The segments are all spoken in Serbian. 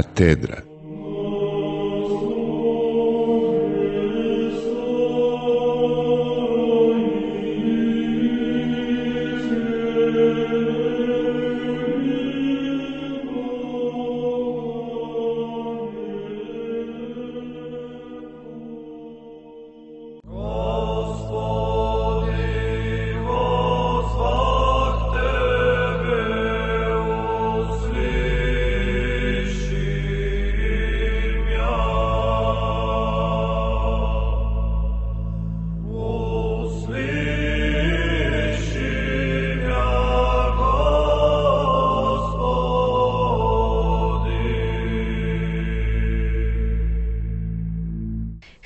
Katedra.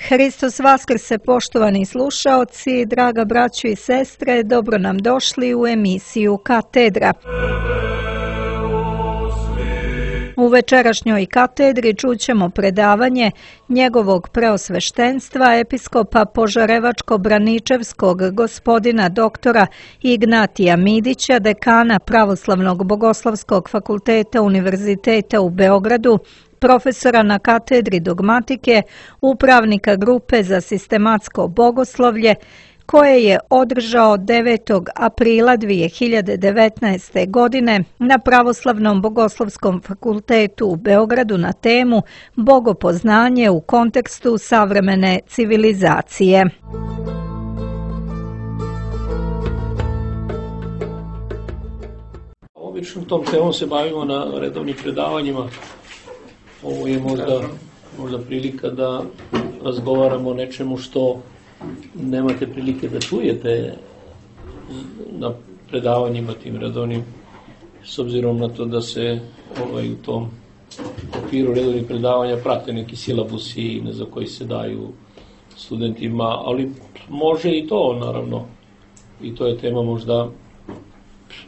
Hristos Vaskrse, poštovani slušaoci, draga braćo i sestre, dobro nam došli u emisiju Katedra. U večerašnjoj katedri čućemo predavanje njegovog preosveštenstva episkopa Požarevačko-Braničevskog gospodina doktora Ignatija Midića, dekana Pravoslavnog bogoslovskog fakulteta Univerziteta u Beogradu, profesora na katedri dogmatike, upravnika grupe za sistematsko bogoslovlje, koje je održao 9. aprila 2019. godine na Pravoslavnom bogoslovskom fakultetu u Beogradu na temu Bogopoznanje u kontekstu savremene civilizacije. Obično tom temom se bavimo na redovnim predavanjima. Ovo je možda prilika da razgovaramo o nečemu što nemate prilike da čujete na predavanjima tim redovnim, s obzirom na to da se u tom okviru redovnih predavanja prate neki silabusi za koji se daju studentima, ali može i to, naravno, i to je tema možda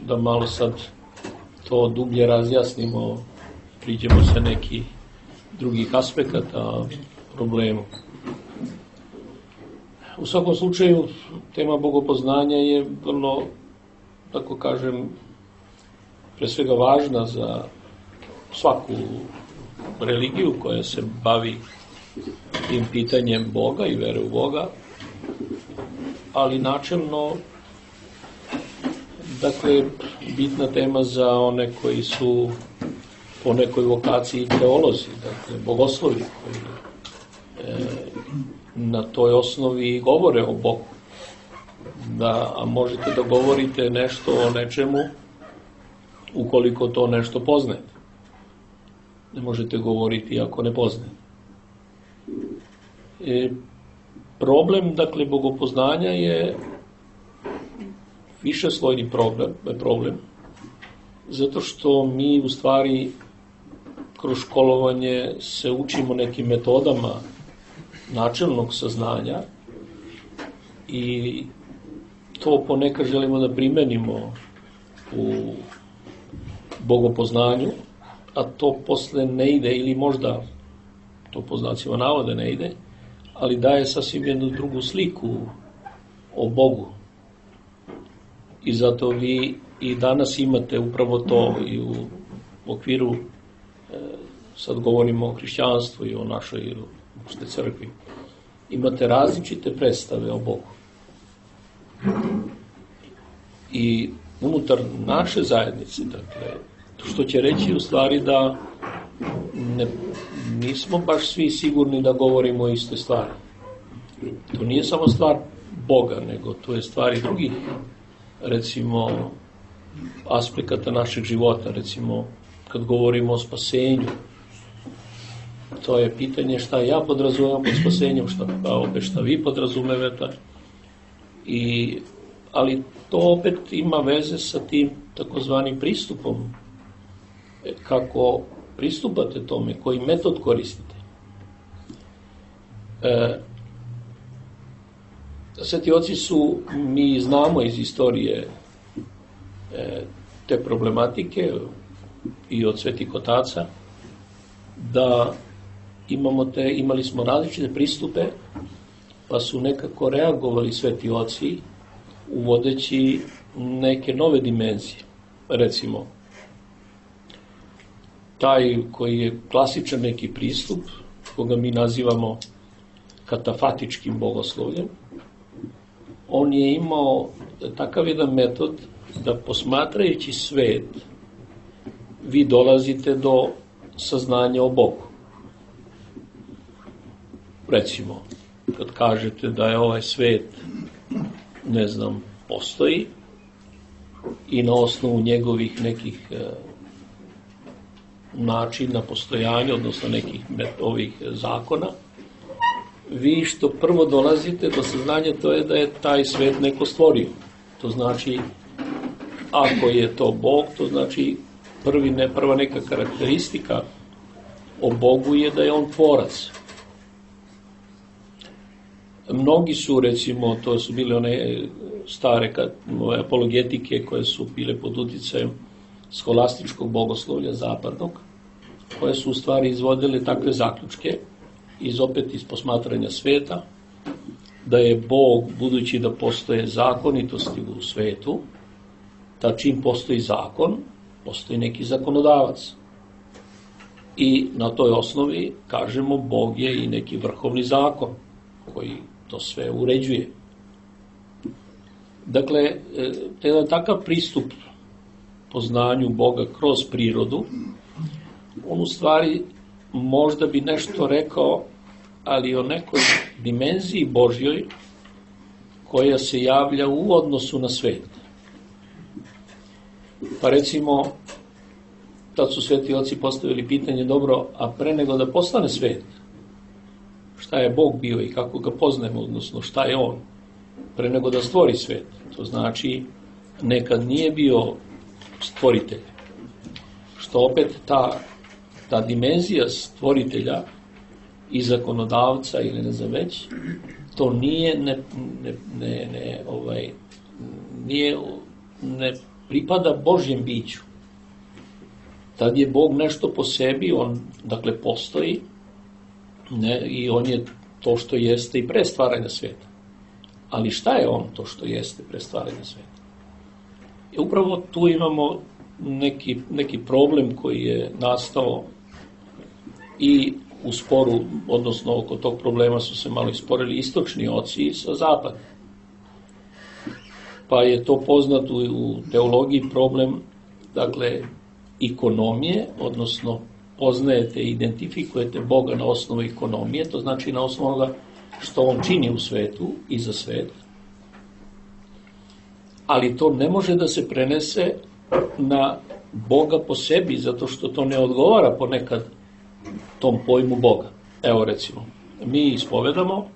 da malo sad to dublje razjasnimo, priđemo se neki drugih aspekata problemu. U svakom slučaju, tema bogopoznanja je vrlo, tako kažem, pre svega važna za svaku religiju koja se bavi tim pitanjem Boga i vere u Boga, ali načelno, dakle, bitna tema za one koji su po nekoj vokaciji teolozi, dakle, bogoslovi koji na toj osnovi govore o Bogu. A možete da govorite nešto o nečemu ukoliko to nešto poznajete. Ne možete govoriti ako ne poznajete. Problem, dakle, bogopoznanja je višeslojni problem, zato što mi u stvari kroz školovanje se učimo nekim metodama načelnog saznanja i to ponekad želimo da primenimo u bogopoznanju, a to posle ne ide, ili možda to po znacima navoda ne ide, ali daje sasvim jednu drugu sliku o Bogu. I zato vi i danas imate upravo to i u okviru, sad govorimo o hrišćanstvu i o našoj crkvi, imate različite predstave o Bogu. I unutar naše zajednice, dakle, što će reći u stvari da nismo baš svi sigurni da govorimo o istoj stvari. To nije samo stvar Boga, nego to je stvar i drugih, recimo, aspekata našeg života, recimo, kad govorimo o spasenju, to je pitanje šta ja podrazumevam pod spasenjem, šta vi podrazumevate. Ali to opet ima veze sa tim takozvanim pristupom. Kako pristupate tome, koji metod koristite. Sveti oci su, mi znamo iz istorije te problematike i od svetih otaca, da imali smo različite pristupe, pa su nekako reagovali sveti oci uvodeći neke nove dimenzije. Recimo, taj koji je klasičan neki pristup, koga mi nazivamo katafatičkim bogoslovljem, on je imao takav jedan metod da posmatrajući svet vi dolazite do saznanja o Bogu. Recimo, kad kažete da je ovaj svet, ne znam, postoji i na osnovu njegovih nekih načina postojanja, odnosno nekih ovih zakona, vi što prvo dolazite do saznanja to je da je taj svet neko stvorio. To znači, ako je to Bog, to znači prva neka karakteristika o Bogu je da je on tvorac. Mnogi su, recimo, to su bile one stare apologetike koje su bile pod uticajem skolastičkog bogoslovlja zapadnog, koje su u stvari izvodile takve zaključke iz posmatranja sveta, da je Bog, budući da postoje zakonitosti u svetu, da čim postoji zakon, postoji neki zakonodavac. I na toj osnovi, kažemo, Bog je i neki vrhovni zakon koji to sve uređuje. Dakle, jedan takav pristup poznanju Boga kroz prirodu, on u stvari možda bi nešto rekao, ali o nekoj dimenziji Božjoj koja se javlja u odnosu na svet. Pa recimo, tad su sveti oci postavili pitanje, dobro, a pre nego da postane svet, šta je Bog bio i kako ga poznajemo, odnosno šta je on, pre nego da stvori svet. To znači, nekad nije bio stvoritelj. Što opet ta dimenzija stvoritelja i zakonodavca ili ne znam već, to ne pripada Božjem biću. Tad je Bog nešto po sebi, on dakle postoji, i on je to što jeste i pre stvaranja sveta. Ali šta je on to što jeste pre stvaranja sveta? I upravo tu imamo neki problem koji je nastao i u sporu, odnosno oko tog problema su se malo isporili istočni oci sa zapada. Pa je to poznato u teologiji problem, dakle, ikonomije, odnosno poznajete i identifikujete Boga na osnovu ekonomije, to znači na osnovu onoga što on čini u svetu i za svet. Ali to ne može da se prenese na Boga po sebi, zato što to ne odgovara ponekad tom pojmu Boga. Evo recimo, mi ispovedamo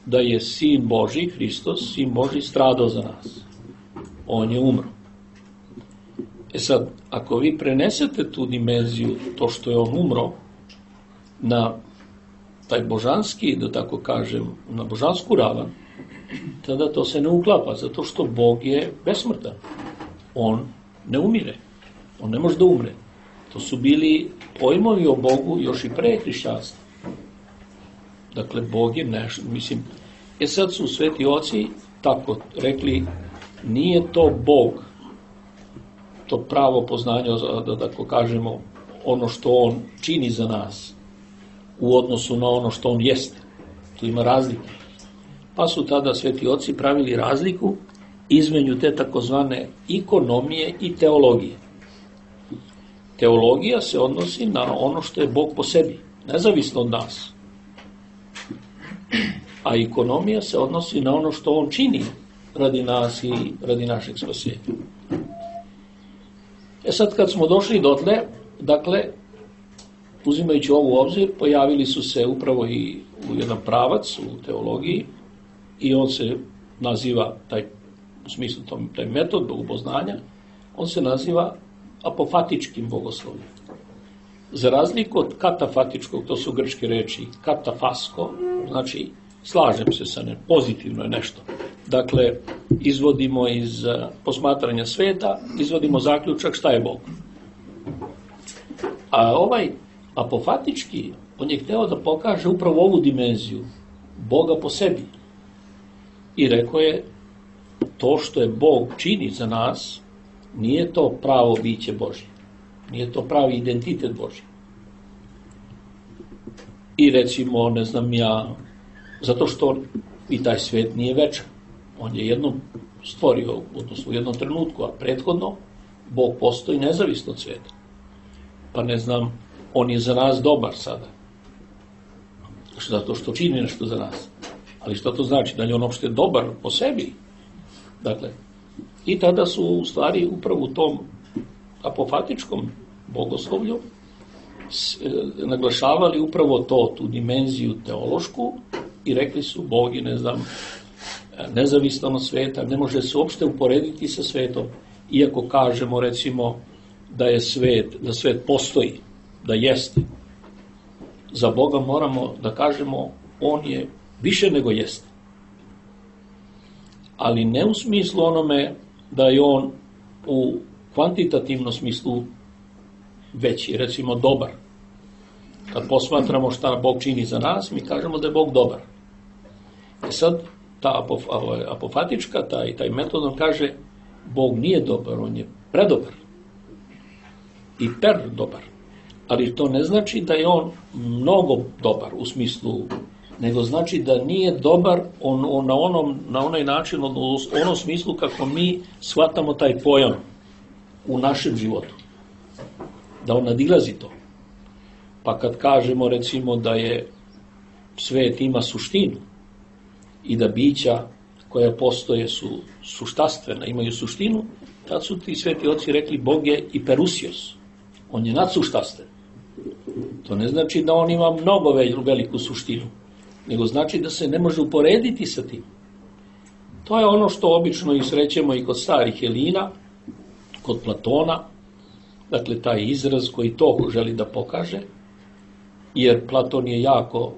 da je Sin Božji, Hristos, Sin Božji stradao za nas. On je umro. E sad, ako vi prenesete tu dimenziju, to što je on umro, na taj božanski, da tako kažem, na božansku ravan, tada to se ne uklapa, zato što Bog je besmrtan. On ne umire. On ne može da umre. To su bili pojmovi o Bogu još i pre hrišćanstva. Dakle, Bog je nešto, mislim, sad su sveti oci tako rekli, nije to Bog, to pravo poznanje, da tako kažemo, ono što on čini za nas u odnosu na ono što on jeste. Tu ima razlike. Pa su tada sveti oci pravili razliku između te takozvane ikonomije i teologije. Teologija se odnosi na ono što je Bog po sebi, nezavisno od nas. A ekonomija se odnosi na ono što on čini radi nas i radi našeg spasenja. Sad kad smo došli dotle, dakle, uzimajući ovo u obzir, pojavili su se upravo i u jedan pravac u teologiji i on se naziva, u smislu taj metod bogopoznanja, on se naziva apofatičkim bogoslovljem. Za razliku od katafatičkog, to su grčke reči, katafasko, znači slažem se sa pozitivno je nešto. Dakle, izvodimo iz posmatranja sveta, izvodimo zaključak šta je Bog. A ovaj apofatički, on je hteo da pokaže upravo ovu dimenziju Boga po sebi. I rekao je, to što je Bog čini za nas, nije to pravo biće Božje. Nije to pravi identitet Božji. I recimo, ne znam ja, zato što i taj svet nije večan. On je jednom stvorio, odnosno u jednom trenutku, a prethodno Bog postoji nezavisno od sveta. Pa ne znam, on je za nas dobar sada. Zato što čini nešto za nas. Ali što to znači? Da li je on uopšte dobar po sebi? Dakle, i tada su u stvari upravo u tom apofatičkom bogoslovlju naglašavali upravo to, tu dimenziju teološku i rekli su Bog je, ne znam, nezavistan od sveta, ne može se uopšte uporediti sa svetom, iako kažemo recimo da je svet, da svet postoji, da jeste. Za Boga moramo da kažemo on je više nego jeste. Ali ne u smislu onome da je on u kvantitativnom smislu veći, recimo dobar. Kad posmatramo šta Bog čini za nas, mi kažemo da je Bog dobar. I sad ta apofatička, taj metod on kaže Bog nije dobar, on je predobar. I dobar. Ali to ne znači da je on mnogo dobar u smislu, nego znači da nije dobar na onaj način, u onom smislu kako mi shvatamo taj pojam u našem životu. Da on nadilazi to. Pa kad kažemo recimo da je svet ima suštinu i da bića koja postoje su suštastvena, imaju suštinu, tad su ti sveti oci rekli Bog je iperusios. On je nadsuštastven. To ne znači da on ima mnogo veliku suštinu, nego znači da se ne može uporediti sa tim. To je ono što obično i srećemo i kod starih Helina, kod Platona, dakle taj izraz koji to želi da pokaže, jer Platon je jako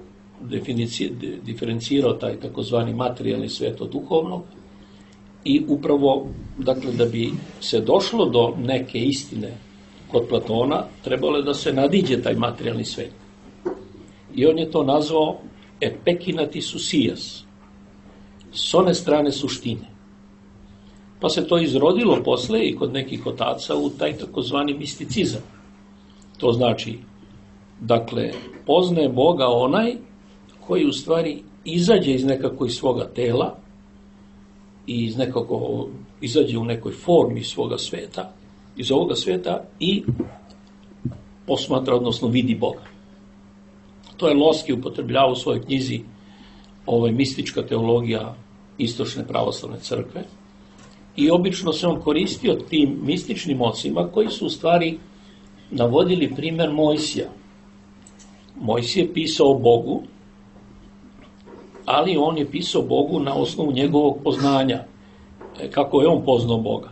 diferencirao taj takozvani materijalni svet od duhovnog i upravo, dakle, da bi se došlo do neke istine kod Platona, trebalo je da se nadiđe taj materijalni svet. I on je to nazvao epekinatis ousias, s one strane suštine. Pa se to izrodilo posle i kod nekih otaca u taj takozvani misticizam. To znači, dakle, poznaje Boga onaj koji u stvari izađe iz nekakvog svoga tela i izađe u nekoj formi svoga sveta, iz ovoga sveta i posmatra, odnosno vidi Boga. To je Loski upotrebljavao u svojoj knjizi mistička teologija istočne pravoslavne crkve i obično se on koristio tim mističnim ocima koji su u stvari navodili primer Mojsija. Mojsije je pisao o Bogu, ali on je pisao Bogu na osnovu njegovog poznanja, kako je on poznao Boga.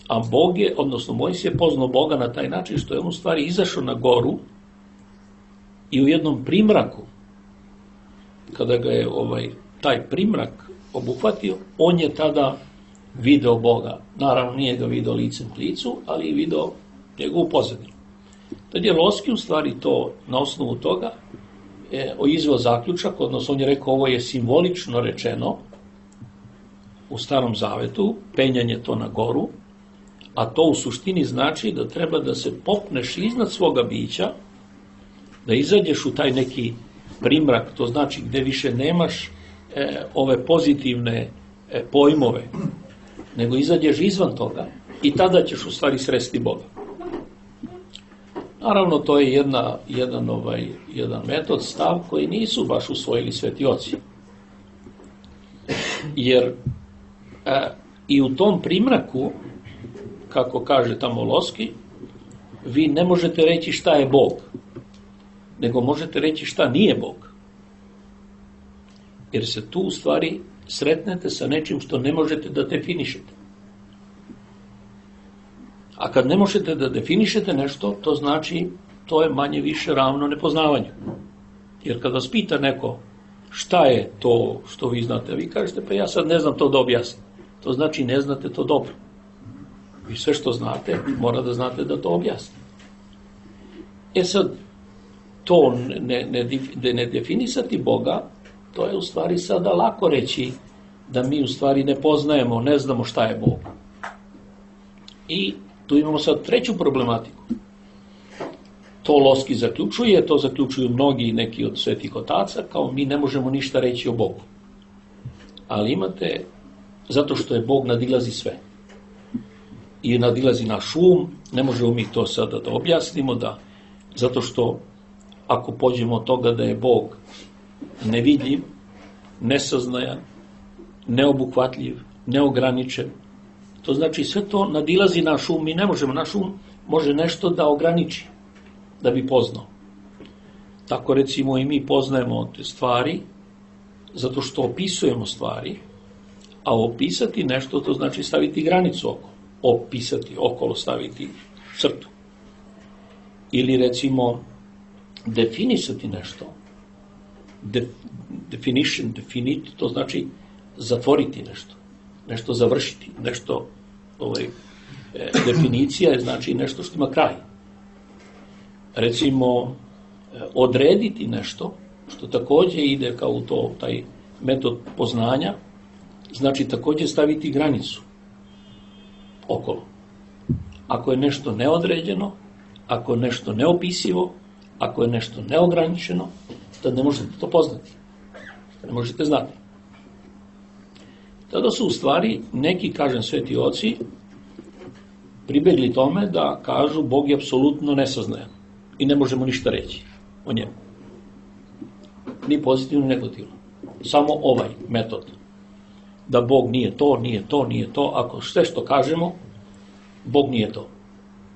A Bog je, odnosno Mojsije je poznao Boga na taj način što je on u stvari izašao na goru i u jednom primraku, kada ga je taj primrak obuhvatio, on je tada video Boga. Naravno nije ga video licem k licu, ali je video njegovu pozadinu. Tad je Loski u stvari to, na osnovu toga, izveo zaključak, odnosno on je rekao ovo je simbolično rečeno u Starom Zavetu, penjanje to na goru, a to u suštini znači da treba da se popneš iznad svoga bića, da izađeš u taj neki primrak, to znači gde više nemaš ove pozitivne pojmove, nego izađeš izvan toga i tada ćeš u stvari sresti Boga. Naravno, to je jedan metod, stav koji nisu baš usvojili sveti oci. Jer i u tom primraku, kako kaže tamo Loski, vi ne možete reći šta je Bog, nego možete reći šta nije Bog. Jer se tu u stvari sretnete sa nečim što ne možete da definišete. A kad ne možete da definišete nešto, to znači to je manje više ravno nepoznavanju. Jer kad vas pita neko šta je to što vi znate, vi kažete pa ja sad ne znam to da objasnim. To znači ne znate to dobro. Vi sve što znate, mora da znate da to objasnite. Sad, to ne definisati Boga, to je u stvari sada lako reći da mi u stvari ne poznajemo, ne znamo šta je Bog. I tu imamo sad treću problematiku. To Loski zaključuje, to zaključuju mnogi neki od svetih otaca, kao mi ne možemo ništa reći o Bogu. Ali imate, zato što je Bog nadilazi sve. I nadilazi naš um, ne možemo mi to sada da objasnimo, zato što ako pođemo od toga da je Bog nevidljiv, nesaznajan, neobuhvatljiv, neograničen, to znači sve to nadilazi naš um, mi ne možemo, naš um može nešto da ograniči, da bi poznao. Tako recimo i mi poznajemo te stvari, zato što opisujemo stvari, a opisati nešto to znači staviti granicu okolo, opisati okolo, staviti crtu. Ili recimo definisati nešto, definiti, to znači zatvoriti nešto, nešto završiti, nešto, definicija je znači nešto što ima kraj. Recimo, odrediti nešto, što takođe ide kao taj metod poznanja, znači takođe staviti granicu okolo. Ako je nešto neodređeno, ako je nešto neopisivo, ako je nešto neograničeno, tad ne možete to poznati. Ne možete znati. Tada su u stvari neki, kažem, sveti oci, pribegli tome da kažu Bog je apsolutno nesaznajan i ne možemo ništa reći o njemu. Ni pozitivno, ni negativno. Samo ovaj metod. Da Bog nije to, nije to, nije to. Ako sve što kažemo, Bog nije to.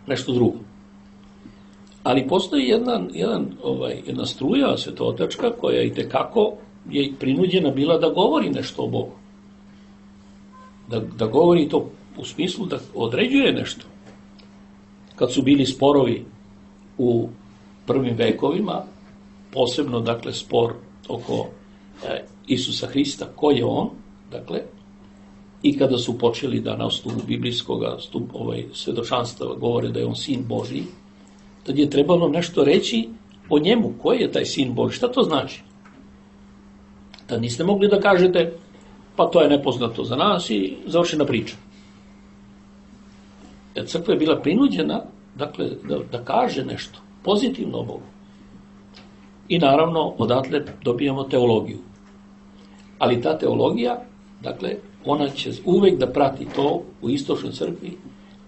Nešto drugo. Ali postoji jedna struja svetotačka koja itekako je prinuđena bila da govori nešto o Bogu. Da govori to u smislu da određuje nešto. Kad su bili sporovi u prvim vekovima, posebno, dakle, spor oko Isusa Hrista, ko je on, dakle, i kada su počeli da na osnovu biblijskog svedočanstva govore da je on sin Božji, tad je trebalo nešto reći o njemu, koji je taj sin Božji, šta to znači? Tad niste mogli da kažete, pa to je nepoznato za nas i završena priča. Jer crkva je bila prinuđena, dakle, da kaže nešto pozitivno o Bogu. I naravno, odatle dobijamo teologiju. Ali ta teologija, dakle, ona će uvek da prati to u istočnoj crkvi,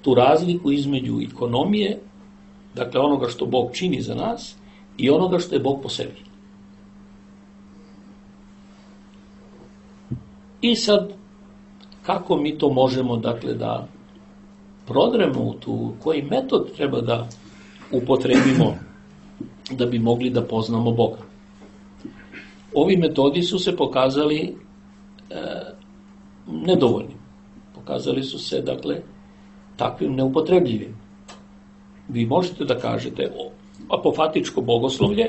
tu razliku između ekonomije, dakle, onoga što Bog čini za nas i onoga što je Bog po sebi. I sad, kako mi to možemo, dakle, da prodremo u tu, koji metod treba da upotrebimo da bi mogli da poznamo Boga. Ovi metodi su se pokazali nedovoljnim. Pokazali su se, dakle, takvim neupotrebljivim. Vi možete da kažete apofatičko bogoslovlje,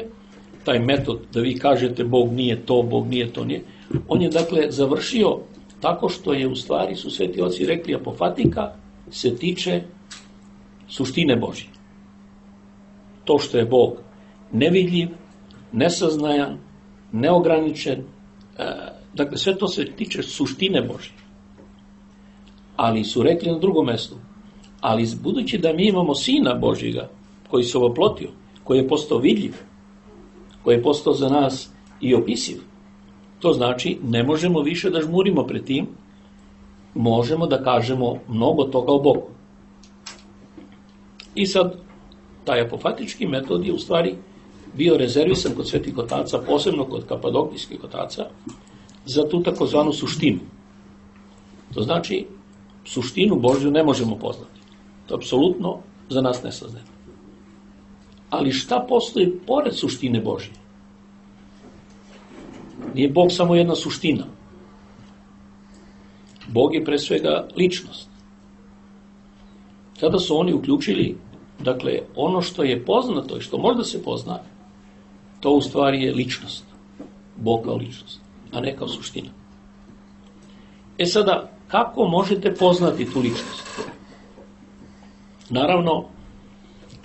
taj metod da vi kažete Bog nije to, Bog nije to, nije. On je, dakle, završio tako što je u stvari, su sveti oci rekli, apofatika se tiče suštine Božje. To što je Bog nevidljiv, nesaznajan, neograničen, dakle, sve to se tiče suštine Božje. Ali su rekli na drugom mestu, ali budući da mi imamo Sina Božjega, koji se ovoplotio, koji je postao vidljiv, koji je postao za nas i opisiv, to znači ne možemo više da žmurimo pred tim, možemo da kažemo mnogo toga o Bogu. I sad, taj apofatički metod je u stvari bio rezervisan kod svetih otaca, posebno kod kapadokijskih otaca, za tu takozvanu suštinu. To znači, suštinu Božju ne možemo poznati. To je apsolutno za nas nesaznano. Ali šta postoji pored suštine Božje? Nije Bog samo jedna suština. Bog je pre svega ličnost. Tada su oni uključili, dakle, ono što je poznato i što možda se pozna, to u stvari je ličnost. Bog kao ličnost, a ne kao suština. E sada, kako možete poznati tu ličnost? Naravno,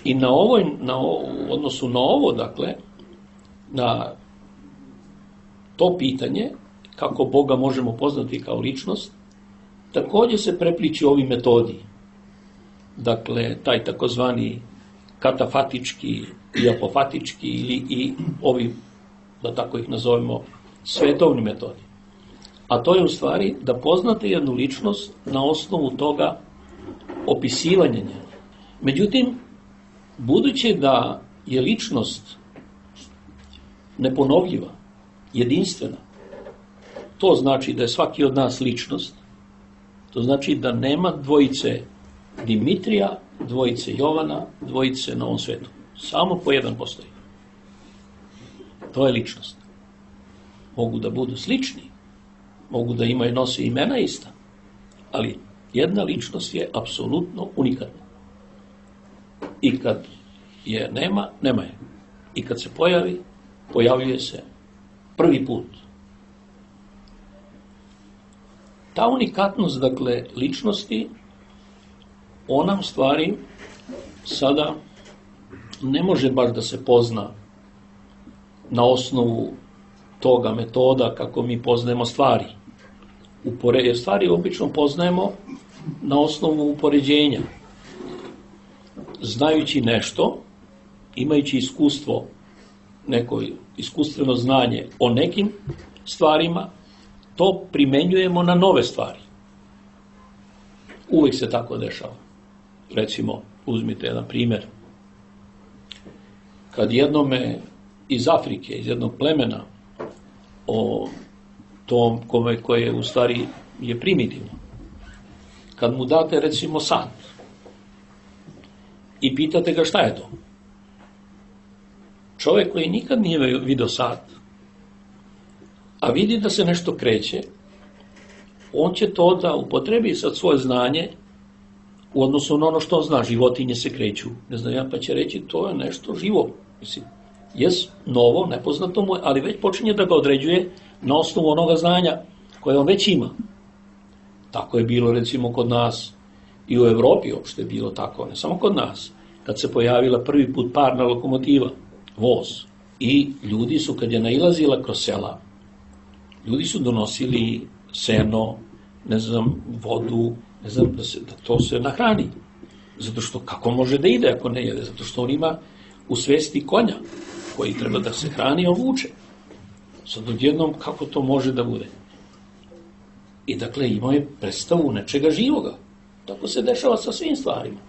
i u odnosu na ovo, dakle, na to pitanje, kako Boga možemo poznati kao ličnost, takođe se prepliči ovi metodi. Dakle, taj takozvani katafatički i apofatički i ovi, da tako ih nazovemo, svetovni metodi. A to je u stvari da poznate jednu ličnost na osnovu toga opisivanja njega. Međutim, budući da je ličnost neponovljiva, jedinstvena, to znači da je svaki od nas ličnost, to znači da nema dvojice Dimitrija, dvojice Jovana, dvojice na ovom svetu. Samo po jedan postoji. To je ličnost. Mogu da budu slični, mogu da imaju, nose imena ista, ali jedna ličnost je apsolutno unikatna. I kad je nema, nema je. I kad se pojavi, pojavljuje se prvi put. Ta unikatnost, dakle, ličnosti, ona u stvari sada ne može baš da se pozna na osnovu toga metoda kako mi poznajemo stvari. Stvari obično poznajemo na osnovu upoređenja. Znajući nešto, imajući iskustvo, neko iskustveno znanje o nekim stvarima, to primenjujemo na nove stvari. Uvek se tako dešava. Recimo, uzmite jedan primjer. Kad jednome iz Afrike, iz jednog plemena, o tom koje u stvari je primitivno, kad mu date recimo sat i pitate ga šta je to, čovjek koji nikad nije video sat, a vidi da se nešto kreće, on će to da upotrebi sad svoje znanje u odnosu na ono što on zna. Životinje se kreću, ne znam ja, pa će reći to je nešto živo. Mislim, jes novo, nepoznato mu je, ali već počinje da ga određuje na osnovu onoga znanja koje on već ima. Tako je bilo recimo kod nas i u Evropi uopšte je bilo tako, ne samo kod nas. Kad se pojavila prvi put parna lokomotiva, voz, i ljudi su, kad je nailazila kroz sela, ljudi su donosili seno, ne znam, vodu, ne znam, da to se nahrani. Zato što kako može da ide ako ne jede? Zato što on ima u svesti konja koji treba da se hrani, on vuče. Sad odjednom kako to može da bude? I dakle imao je predstavu nečega živoga. Tako se dešava sa svim stvarima.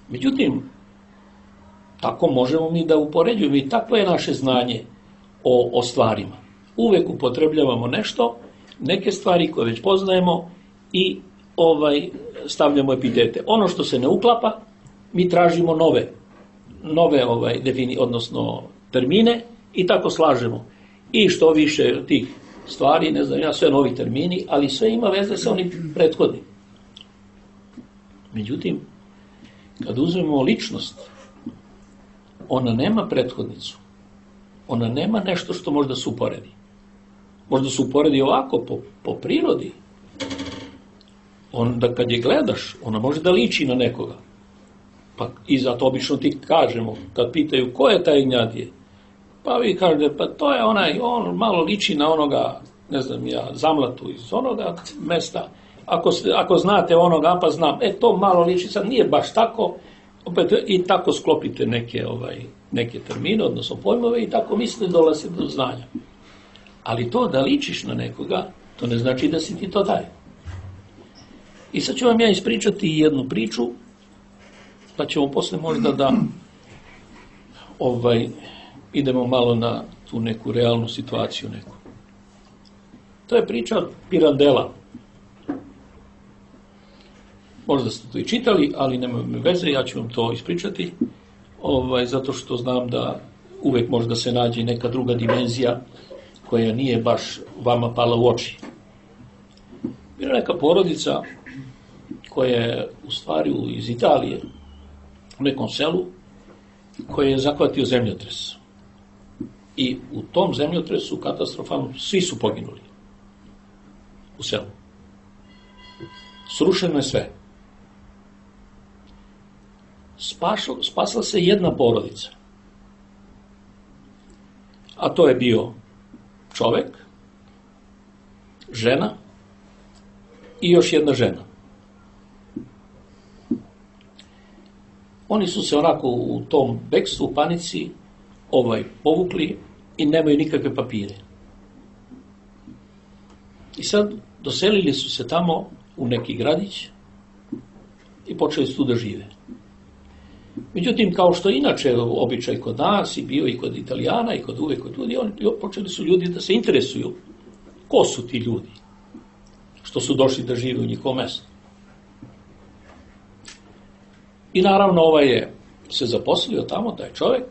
Međutim, tako možemo mi da upoređujemo i takvo je naše znanje o stvarima. Uvek upotrebljavamo nešto, neke stvari koje već poznajemo i stavljamo epitete. Ono što se ne uklapa, mi tražimo nove odnosno termine i tako slažemo. I što više tih stvari, ne znam ja, sve novi termini, ali sve ima veze sa onim prethodnim. Međutim, kad uzmemo ličnost, ona nema prethodnicu. Ona nema nešto što može da se uporedi. Možda se uporedi ovako, po prirodi. Onda kad je gledaš, ona može da liči na nekoga. Pa i zato obično ti kažemo, kad pitaju ko je taj Ignjatije, pa vi kažete, pa to je on malo liči na onoga, ne znam ja, Zamlatu iz onoga mesta. Ako znate onoga, pa znam, to malo liči, sad nije baš tako, opet i tako sklopite neke termine, odnosno pojmove i tako mislite dolazite do znanja. Ali to da ličiš na nekoga, to ne znači da si ti to taj. I sad ću vam ja ispričati jednu priču, pa ćemo posle možda da idemo malo na tu neku realnu situaciju neku. To je priča Pirandela. Možda ste to i čitali, ali nema veze, ja ću vam to ispričati, zato što znam da uvek može da se nađe neka druga dimenzija koja nije baš vama pala u oči. Bila neka porodica koja je u stvari iz Italije, u nekom selu, koji je zahvatio zemljotres. I u tom zemljotresu katastrofalno svi su poginuli u selu. Srušeno je sve. Spasla se jedna porodica. A to je bio čovek, žena i još jedna žena. oni su se onako u tom bekstvu, panici, povukli i nemaju nikakve papire. I sad doselili su se tamo u neki gradić i počeli su tu da žive. Međutim, kao što inače običaj kod nas i bio i kod Italijana i kod uvek kod ljudi, počeli su ljudi da se interesuju ko su ti ljudi što su došli da žive u njihovom mestu. I naravno je se zaposlio tamo, taj čovjek,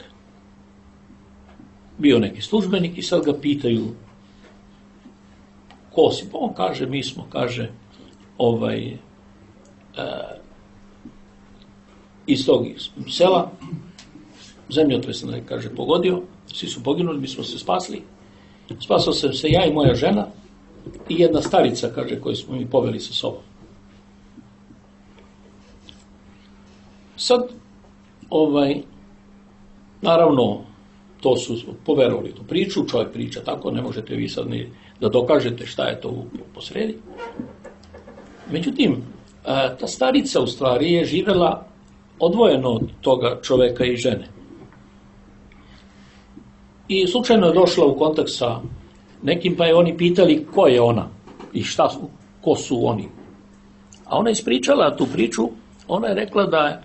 bio neki službenik i sad ga pitaju ko si? Pa on kaže, mi smo, kaže, iz tog sela, zemljotres nam je, kaže, pogodio, svi su poginuli, mi smo se spasli. Spasao sam se ja i moja žena i jedna starica, kaže, koju smo mi poveli sa sobom. Sad, naravno, to su poverovali tu priču, čovjek priča tako, ne možete vi sad ni da dokažete šta je to posredi. Međutim, ta starica u stvari je živela odvojeno od toga čoveka i žene. I slučajno je došla u kontakt sa nekim, pa je oni pitali ko je ona i ko su oni. A ona je ispričala tu priču, ona je rekla da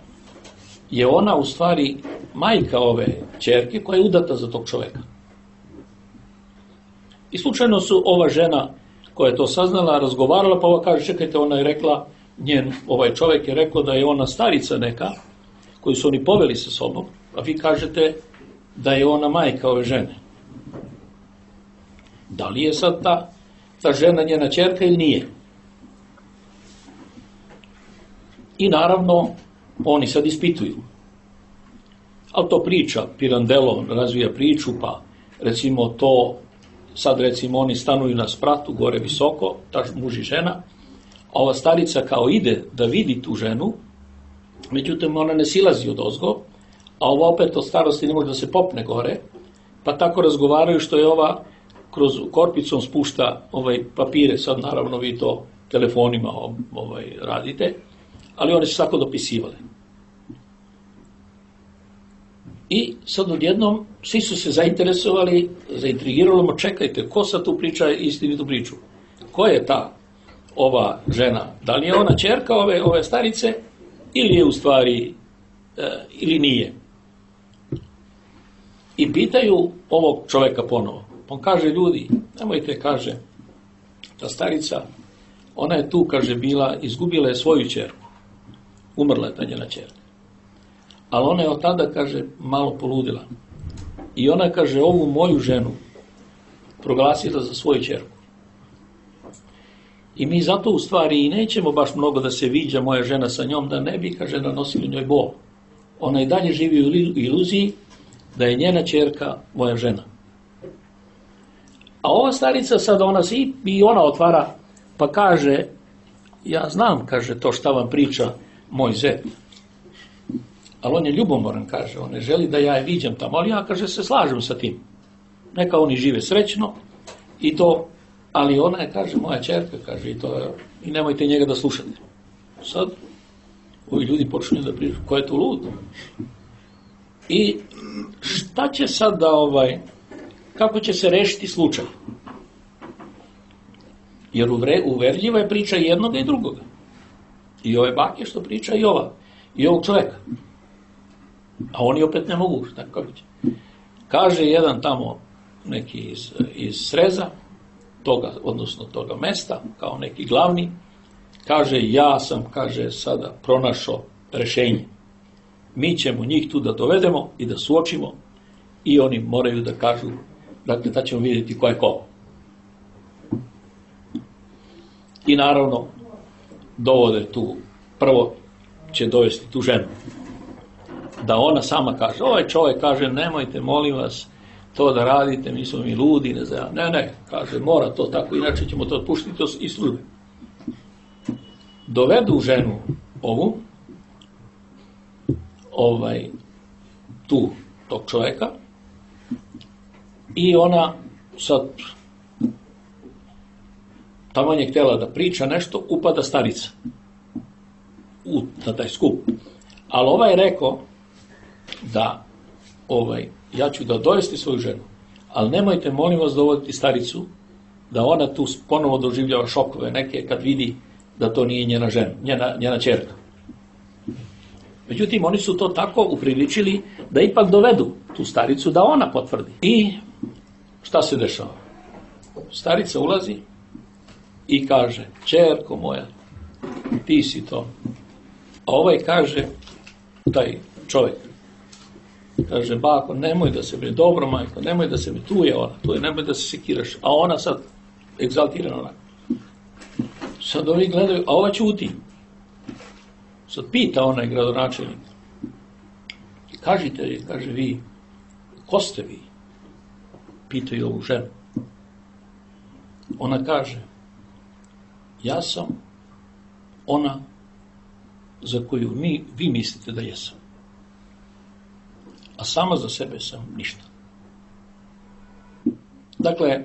je ona u stvari majka ove ćerke koja je udata za tog čoveka. I slučajno su ova žena koja je to saznala, razgovarala, pa ova kaže, čekajte, ona je rekla, ovaj čovjek je rekao da je ona starica neka, koju su oni poveli sa sobom, a vi kažete da je ona majka ove žene. Da li je sad ta žena njena ćerka ili nije? I naravno, oni sad ispituju. Ali to priča, Pirandello razvija priču, pa recimo sad recimo oni stanuju na spratu, gore visoko, ta muž i žena, a ova starica kao ide da vidi tu ženu, međutim ona ne silazi od ozgo, a ova opet od starosti ne može da se popne gore, pa tako razgovaraju što je ova kroz korpicom spušta papire, sad naravno vi to telefonima radite, ali one su tako dopisivale. I sad odjednom svi su se zainteresovali, zaintrigiralo, čekajte, ko sad tu priča istinitu priču? Ko je ova žena? Da li je ona ćerka ove starice ili je u stvari, ili nije? I pitaju ovog čoveka ponovo. On kaže, ljudi, nemojte, kaže, ta starica, ona je tu, kaže, izgubila je svoju ćerku. Umrla je ta njena ćerka. Ali ona je od tada, kaže, malo poludila. I ona, kaže, ovu moju ženu proglasila za svoju ćerku. I mi zato u stvari i nećemo baš mnogo da se viđa moja žena sa njom, da ne bi, kaže, nanosili njoj bol. Ona i dalje živi u iluziji da je njena ćerka moja žena. A ova starica sad, i ona otvara, pa kaže, ja znam, kaže, to šta vam priča moj zet. Ali on je ljubomoran, kaže, on ne želi da ja je viđam tamo, ali ja, kaže, se slažem sa tim. Neka oni žive srećno i to, ali ona je, kaže, moja ćerka, kaže, i nemojte njega da slušate. Sad, ovi ljudi počinju da pričaju, ko je tu lud? I šta će sad da, kako će se rešiti slučaj? Jer uverljiva je priča jednoga i drugoga. I ove bake što priča i ovog čoveka. A oni opet ne mogu, tako će. Kaže jedan tamo, neki iz Sreza, odnosno toga mesta, kao neki glavni, kaže, ja sam, kaže, sada pronašao rešenje. Mi ćemo njih tu da dovedemo i da suočimo i oni moraju da kažu, dakle, da ćemo vidjeti ko je ko. I naravno, dovode tu, prvo će dovesti tu ženu. Da ona sama kaže, ovaj čovjek kaže, nemojte, molim vas, to da radite, mi smo mi ludi, ne znam. Ne, kaže, mora to tako, inače ćemo to otpuštiti iz službe. Dovedu ženu ovu, tog čovjeka, i ona sad tamo je htjela da priča nešto, upada starica na taj skup. Ali ovaj je rekao da ja ću da dovesti svoju ženu, ali nemojte, molim vas, dovoditi staricu, da ona tu ponovo doživljava šokove neke kad vidi da to nije njena žena, njena ćerka. Međutim, oni su to tako upriličili da ipak dovedu tu staricu, da ona potvrdi. I šta se dešava? Starica ulazi i kaže, ćerko moja, ti si to. A ovaj kaže, taj čovjek, kaže, bako, nemoj da se brine, dobro majko, nemoj da se brine, tu je ona, nemoj da se sekiraš. A ona sad, egzaltirana onako. Sad ovi gledaju, a ova ćuti. Sad pita onaj gradonačelnik. Kažite, kaže, vi, ko ste vi? Pitaju ovu ženu. Ona kaže, ja sam ona za koju vi mislite da jesam. A sama za sebe sam ništa. Dakle,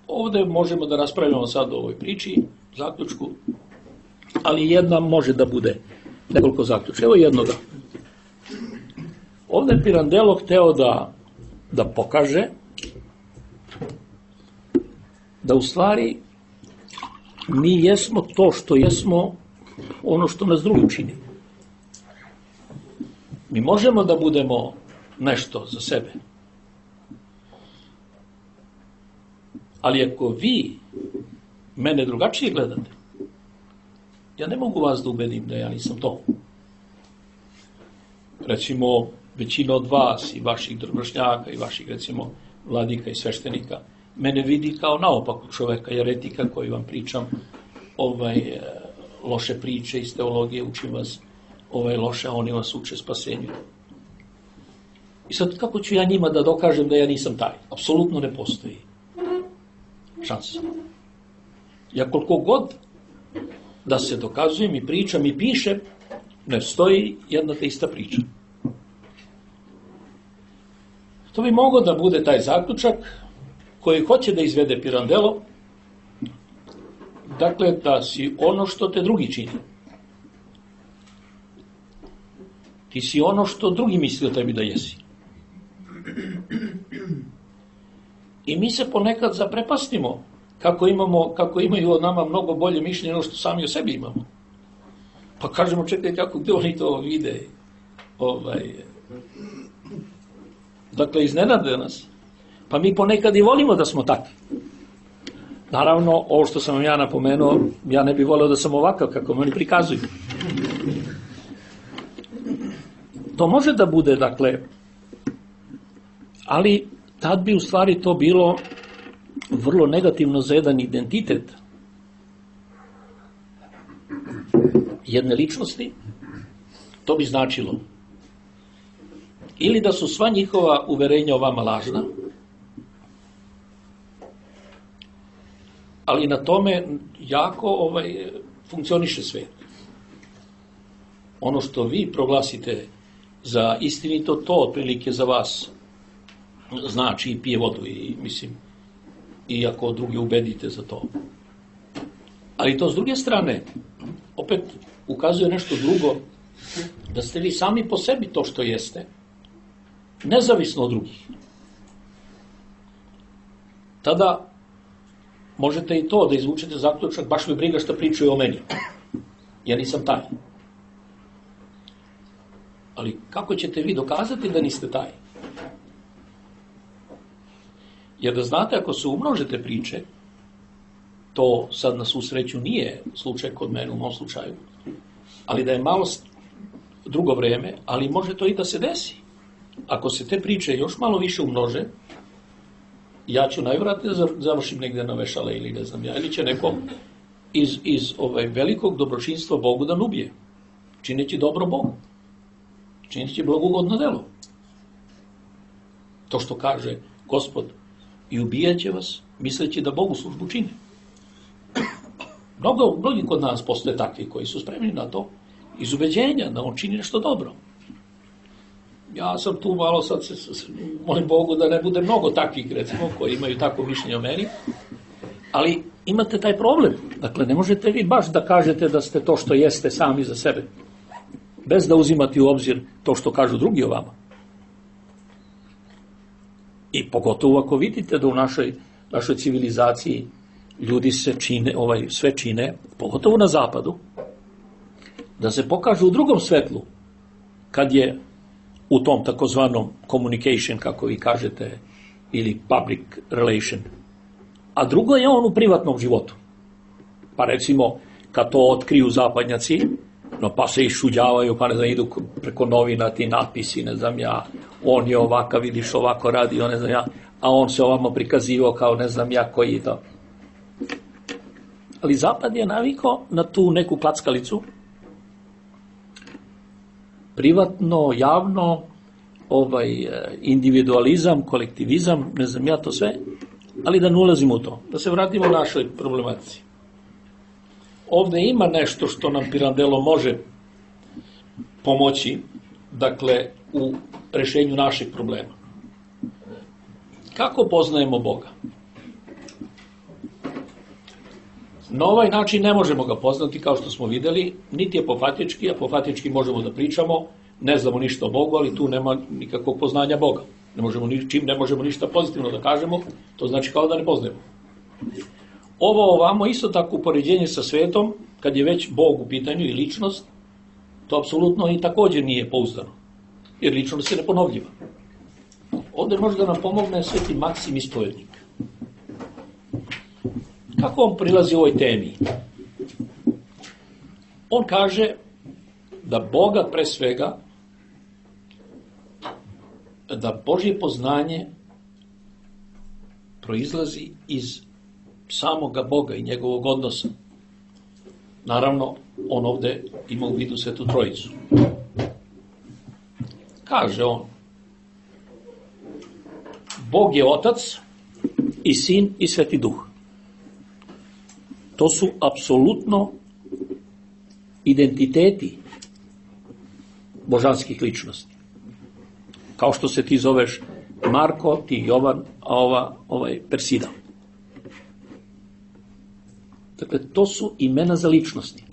ovdje možemo da raspravljamo sad o ovoj priči, zaključku, ali jedna može da bude nekoliko zaključka. Evo jednoga. Ovdje je Pirandello hteo da pokaže da u stvari mi jesmo to što jesmo, ono što nas drugi čini. Mi možemo da budemo nešto za sebe. Ali ako vi mene drugačije gledate, ja ne mogu vas da ubedim da ja nisam to. Recimo, većina od vas i vaših drvršnjaka i vaših, recimo, vladika i sveštenika mene vidi kao naopakog čoveka, jeretika koji vam pričam loše priče iz teologije, učim vas loše, a oni vas uče spasenju. I sad kako ću ja njima da dokažem da ja nisam taj? Apsolutno ne postoji šansa. Ja koliko god da se dokazujem i pričam i pišem, ne stoji jedna te ista priča. To bi mogao da bude taj zaključak koji hoće da izvede Pirandello, dakle da si ono što te drugi čini. Ti si ono što drugi misli o tebi da jesi. I mi se ponekad zaprepastimo kako imaju od nama mnogo bolje mišljenje nego što sami o sebi imamo. Pa kažemo, čekaj, gde oni to vide? Dakle, iznenade nas. Pa mi ponekad i volimo da smo takvi. Naravno, ovo što sam vam ja napomenuo, ja ne bih voleo da sam ovakav kako me oni prikazuju. To može da bude, dakle, ali tad bi u stvari to bilo vrlo negativno za jedan identitet jedne ličnosti. To bi značilo ili da su sva njihova uverenja o vama lažna, ali na tome jako funkcioniše svet. Ono što vi proglasite za istinito, to otprilike za vas znači i pije vodu i mislim, i ako drugi ubedite za to. Ali to s druge strane opet ukazuje nešto drugo, da ste vi sami po sebi to što jeste, nezavisno od drugih. Tada možete i to da izvučete zaključak, baš me briga šta pričaju o meni. Ja nisam taj. Ali kako ćete vi dokazati da niste taj? Jer da znate, ako se umnožete priče, to sad na svu sreću nije slučaj kod mene u mom slučaju, ali da je malo drugo vreme, ali može to i da se desi. Ako se te priče još malo više umnože, ja ću najvjerojatnije završim negde na vešale ili ne znam ja, ili će neko iz velikog dobročinstva Bogu da ubije, čineći dobro Bogu, čineći blagogodno delo. To što kaže Gospod, i ubijaće vas, misleći da Bogu službu čine. Mnogi kod nas postoje takvi koji su spremni na to, iz ubeđenja da on čini nešto dobro. Ja sam tu malo sad molim Bogu da ne bude mnogo takvih, recimo, koji imaju tako mišljenje o meni, ali imate taj problem. Dakle, ne možete vi baš da kažete da ste to što jeste sami za sebe. bez da uzimati u obzir to što kažu drugi o vama. I pogotovo ako vidite da u našoj civilizaciji ljudi se čine, sve čine, pogotovo na zapadu, da se pokažu u drugom svetlu, kad je u tom takozvanom communication, kako vi kažete, ili public relation, a drugo je on u privatnom životu. Pa recimo, kad to otkriju zapadnjaci, no pa se išuđavaju, pa ne znam, idu preko novina ti natpisi, ne znam ja, on je ovakav, vidiš ovako radi, on ne znam ja, a on se ovamo prikazivao kao ne znam ja koji je to. Ali zapad je navikao na tu neku klackalicu, privatno, javno, individualizam, kolektivizam, ne znam ja to sve, ali da ne ulazimo u to. Da se vratimo u našoj problematici. Ovde ima nešto što nam Pirandello može pomoći, dakle, u rešenju naših problema. Kako poznajemo Boga? Na ovaj način ne možemo ga poznati, kao što smo videli, niti je apofatički, apofatički možemo da pričamo, ne znamo ništa o Bogu, ali tu nema nikakvog poznanja Boga. Čim ne možemo ništa pozitivno da kažemo, to znači kao da ne poznajemo. Ovo ovamo isto tako upoređenje sa svetom, kad je već Bog u pitanju i ličnost, to apsolutno i također nije pouzdano, jer ličnost je neponovljiva. Ovdje može da nam pomogne Sveti Maksim Ispovednik. Kako on prilazi ovoj temi? On kaže da Boga pre svega, da Božje poznanje proizlazi iz samoga Boga i njegovog odnosa. Naravno, on ovde ima u vidu Svetu Trojicu. Kaže on, Bog je Otac i Sin i Sveti Duh. To su apsolutno identiteti božanskih ličnosti. Kao što se ti zoveš Marko, ti Jovan, a Persida. Dakle, to su imena za ličnosti.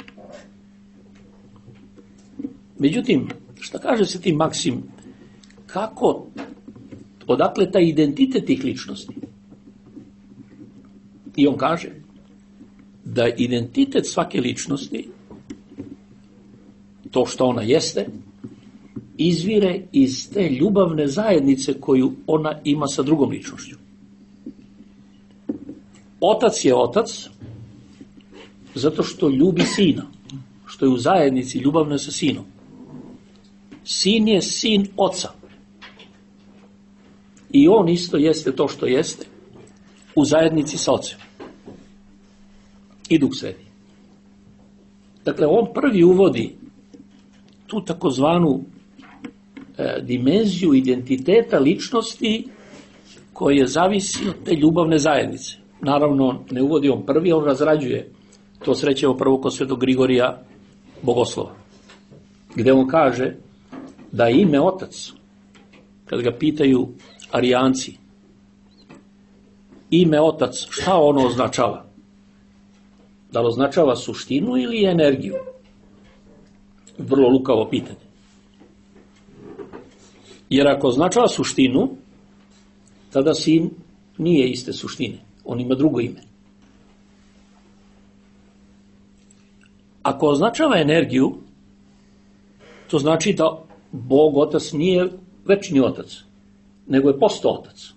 Međutim, šta kaže Sveti Maksim, odakle taj identitet tih ličnosti? I on kaže da identitet svake ličnosti, to što ona jeste, izvire iz te ljubavne zajednice koju ona ima sa drugom ličnošću. Otac je otac zato što ljubi sina, što je u zajednici ljubavne sa sinom. Sin je sin oca. I on isto jeste to što jeste u zajednici sa ocem. I Duh Sveti. Dakle, on prvi uvodi tu takozvanu dimenziju identiteta ličnosti koje zavisi od te ljubavne zajednice. Naravno, ne uvodi on prvi, on razrađuje. To srećemo prvo kod Svetog Grigorija Bogoslova, gde on kaže da ime Otac, kad ga pitaju Arijanci, ime Otac, šta ono označava? Da li označava suštinu ili energiju? Vrlo lukavo pitanje. Jer ako označava suštinu, tada sin nije iste suštine. On ima drugo ime. Ako označava energiju, to znači da Bog Otac nije večni Otac, nego je postao Otac.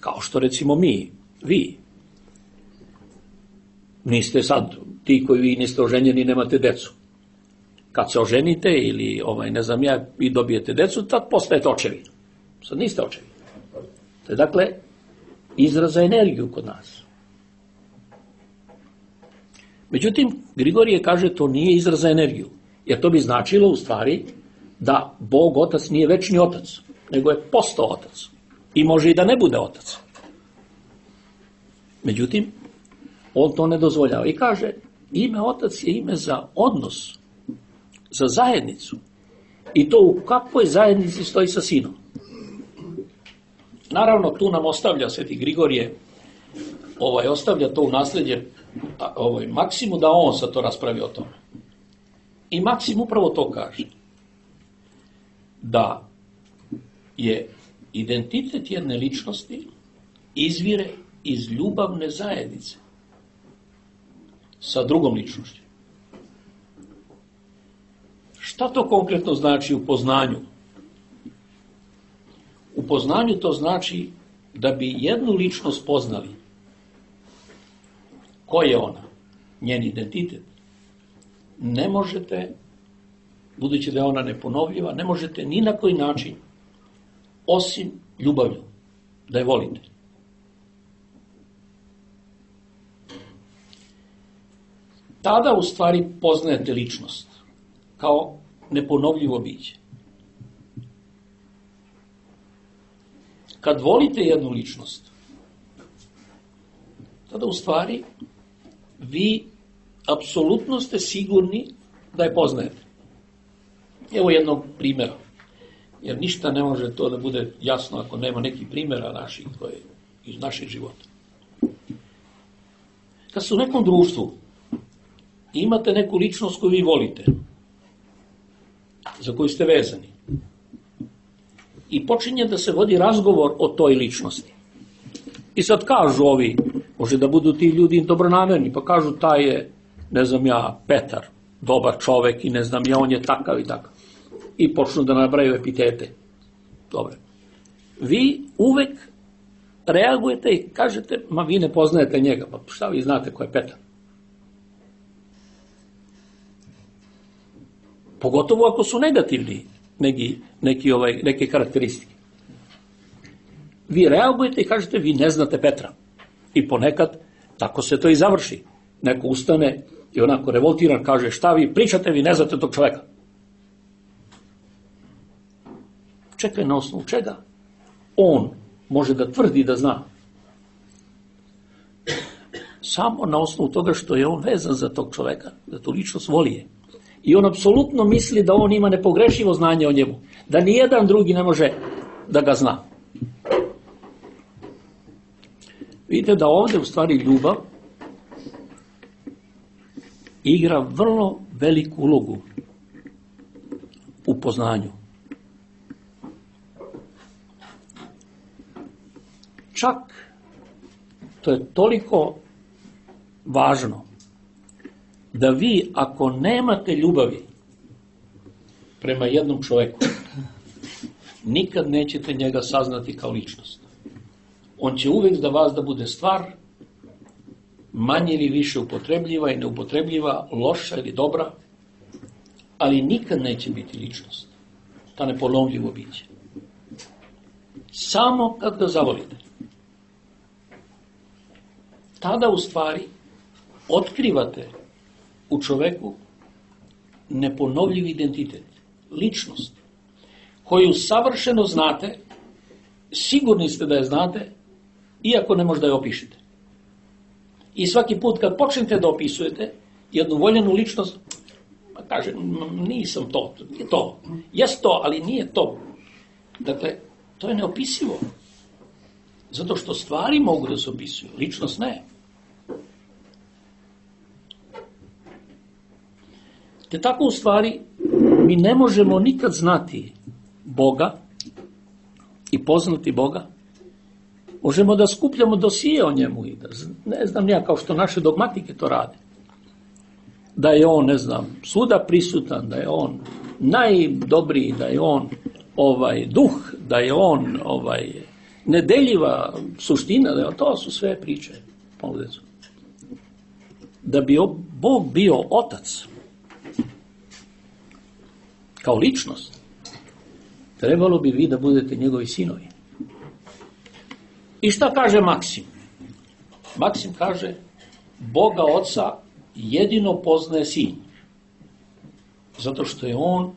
Kao što recimo vi. Niste sad, ti koji vi niste oženjeni, nemate decu. Kad se oženite ili, ne znam ja, i dobijete decu, tad postajete očevi. Sad niste očevi. To je dakle izraz za energiju kod nas. Međutim, Grigorije kaže to nije izraz za energiju, jer to bi značilo u stvari da Bog Otac nije večni Otac, nego je postao Otac. I može i da ne bude Otac. Međutim, on to ne dozvoljava i kaže, ime Otac je ime za odnos, za zajednicu. I to u kakvoj zajednici stoji sa sinom. Naravno, tu nam ostavlja Sveti Grigorije, ostavlja to u nasledđe Maksimu da on sad to raspravi o tome. I Maksim upravo to kaže. Da je identitet jedne ličnosti izvire iz ljubavne zajednice sa drugom ličnošću. Šta to konkretno znači u poznanju? U poznanju to znači da bi jednu ličnost poznali. Ko je ona? Njen identitet. Ne možete, budući da je ona neponovljiva, ne možete ni na koji način, osim ljubavlju, da je volite. Tada u stvari poznajete ličnost kao neponovljivo biće. Kad volite jednu ličnost, tada u stvari vi apsolutno ste sigurni da je poznajete. Evo jednog primjera, jer ništa ne može to da bude jasno ako nema nekih primjera naših, koje iz našeg života. Kad ste u nekom društvu i imate neku ličnost koju vi volite, za koju ste vezani, i počinje da se vodi razgovor o toj ličnosti. I sad kažu ovi, može da budu ti ljudi dobronamerni, pa kažu taj je, ne znam ja, Petar, dobar čovek i ne znam ja, on je takav i takav. I počnu da nabraju epitete. Dobre. Vi uvek reagujete i kažete, ma vi ne poznajete njega, pa šta vi znate ko je Petar? Pogotovo ako su negativni neke karakteristike. Vi reagujete i kažete, vi ne znate Petra. I ponekad tako se to i završi. Neko ustane i onako revoltiran kaže, šta vi pričate, vi ne znate tog čoveka. Čekaj, na osnovu čega on može da tvrdi da zna? Samo na osnovu toga što je on vezan za tog čoveka, da tu ličnost voli je. I on apsolutno misli da on ima nepogrešivo znanje o njemu, da nijedan drugi ne može da ga zna. Vidite da ovdje u stvari ljubav igra vrlo veliku ulogu u poznanju. Čak to je toliko važno da vi ako nemate ljubavi prema jednom čovjeku, nikad nećete njega saznati kao ličnost. On će uvijek za vas da bude stvar, manje ili više upotrebljiva i neupotrebljiva, loša ili dobra, ali nikad neće biti ličnost. Ta neponovljivo biće. Samo kad ga zavolite. Tada u stvari otkrivate u čoveku neponovljiv identitet, ličnost, koju savršeno znate, sigurni ste da je znate, iako ne možda je opišete. I svaki put kad počnete da opisujete jednu voljenu ličnost, kaže, nisam to, nije to, jes to, ali nije to. Dakle, to je neopisivo. Zato što stvari mogu da se opisuju, ličnost ne. Te tako u stvari mi ne možemo nikad znati Boga i poznati Boga. Možemo da skupljamo dosije o njemu i da, ne znam ja, kao što naše dogmatike to rade. Da je on, ne znam, svuda prisutan, da je on najdobriji, da je on duh, da je on nedeljiva suština, da je to su sve priče. Da bi Bog bio otac, kao ličnost, trebalo bi vi da budete njegovi sinovi. I šta kaže Maksim? Maksim kaže, Boga Oca jedino poznaje sin. Zato što je on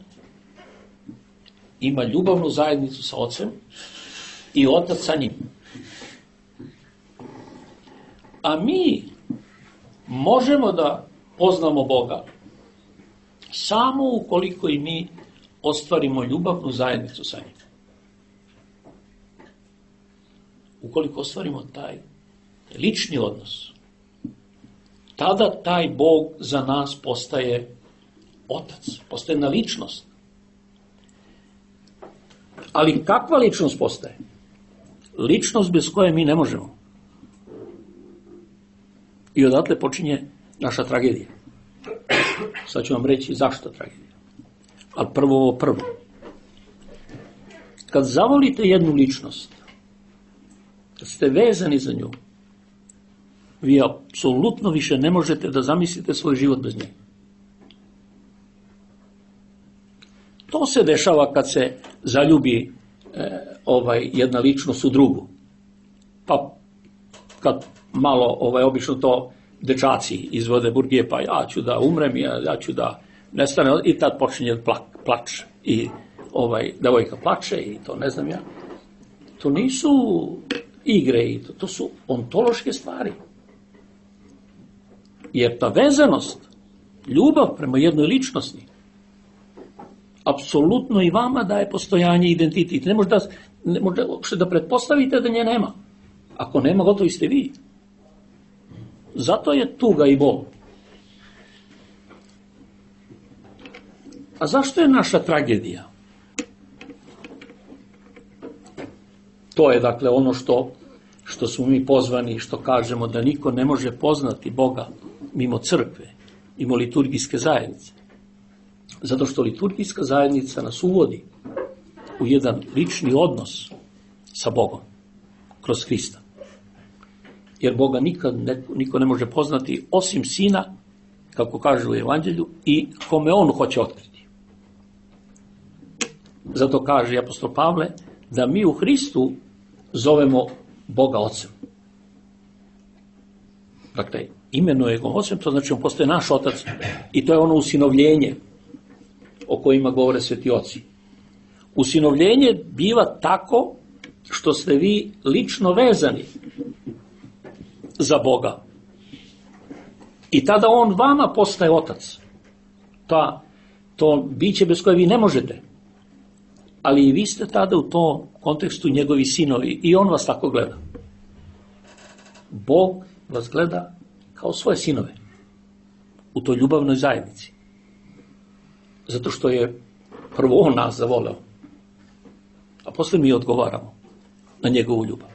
ima ljubavnu zajednicu sa Ocem i Otac sa njim. A mi možemo da poznamo Boga samo ukoliko i mi ostvarimo ljubavnu zajednicu sa njim. Ukoliko ostvarimo taj lični odnos, tada taj Bog za nas postaje otac, postaje jedna ličnost. Ali kakva ličnost postaje? Ličnost bez koje mi ne možemo. I odatle počinje naša tragedija. Sad ću vam reći zašto tragedija. Ali prvo. Kad zavolite jednu ličnost, kad ste vezani za nju, vi apsolutno više ne možete da zamislite svoj život bez nje. To se dešava kad se zaljubi jedna ličnost u drugu. Pa kad malo obično to dečaci izvode burgije, pa ja ću da umrem, ja ću da nestane, i tad počinje plač. I devojka plače i to ne znam ja. To nisu igre, to su ontološke stvari. Jer ta vezanost, ljubav prema jednoj ličnosti, apsolutno i vama daje postojanje i identitet. Ne možete da pretpostavite da nje nema. Ako nema, gotovi ste vi. Zato je tuga i bol. A zašto je naša tragedija? To je dakle ono što smo mi pozvani, što kažemo da niko ne može poznati Boga mimo crkve, mimo liturgijske zajednice. Zato što liturgijska zajednica nas uvodi u jedan lični odnos sa Bogom kroz Hrista. Jer Boga niko ne može poznati osim Sina, kako kaže u Evanđelju, i kome on hoće otkriti. Zato kaže apostol Pavle da mi u Hristu zovemo Boga Ocem. Dakle, imenuje ga Ocem, to znači on postaje naš Otac i to je ono usinovljenje o kojima govore sveti oci. Usinovljenje biva tako što ste vi lično vezani za Boga. I tada on vama postaje Otac. To biće bez koje vi ne možete. Ali i vi ste tada u tom kontekstu njegovi sinovi i on vas tako gleda. Bog vas gleda kao svoje sinove u toj ljubavnoj zajednici. Zato što je prvo on nas zavoleo, a posle mi odgovaramo na njegovu ljubav.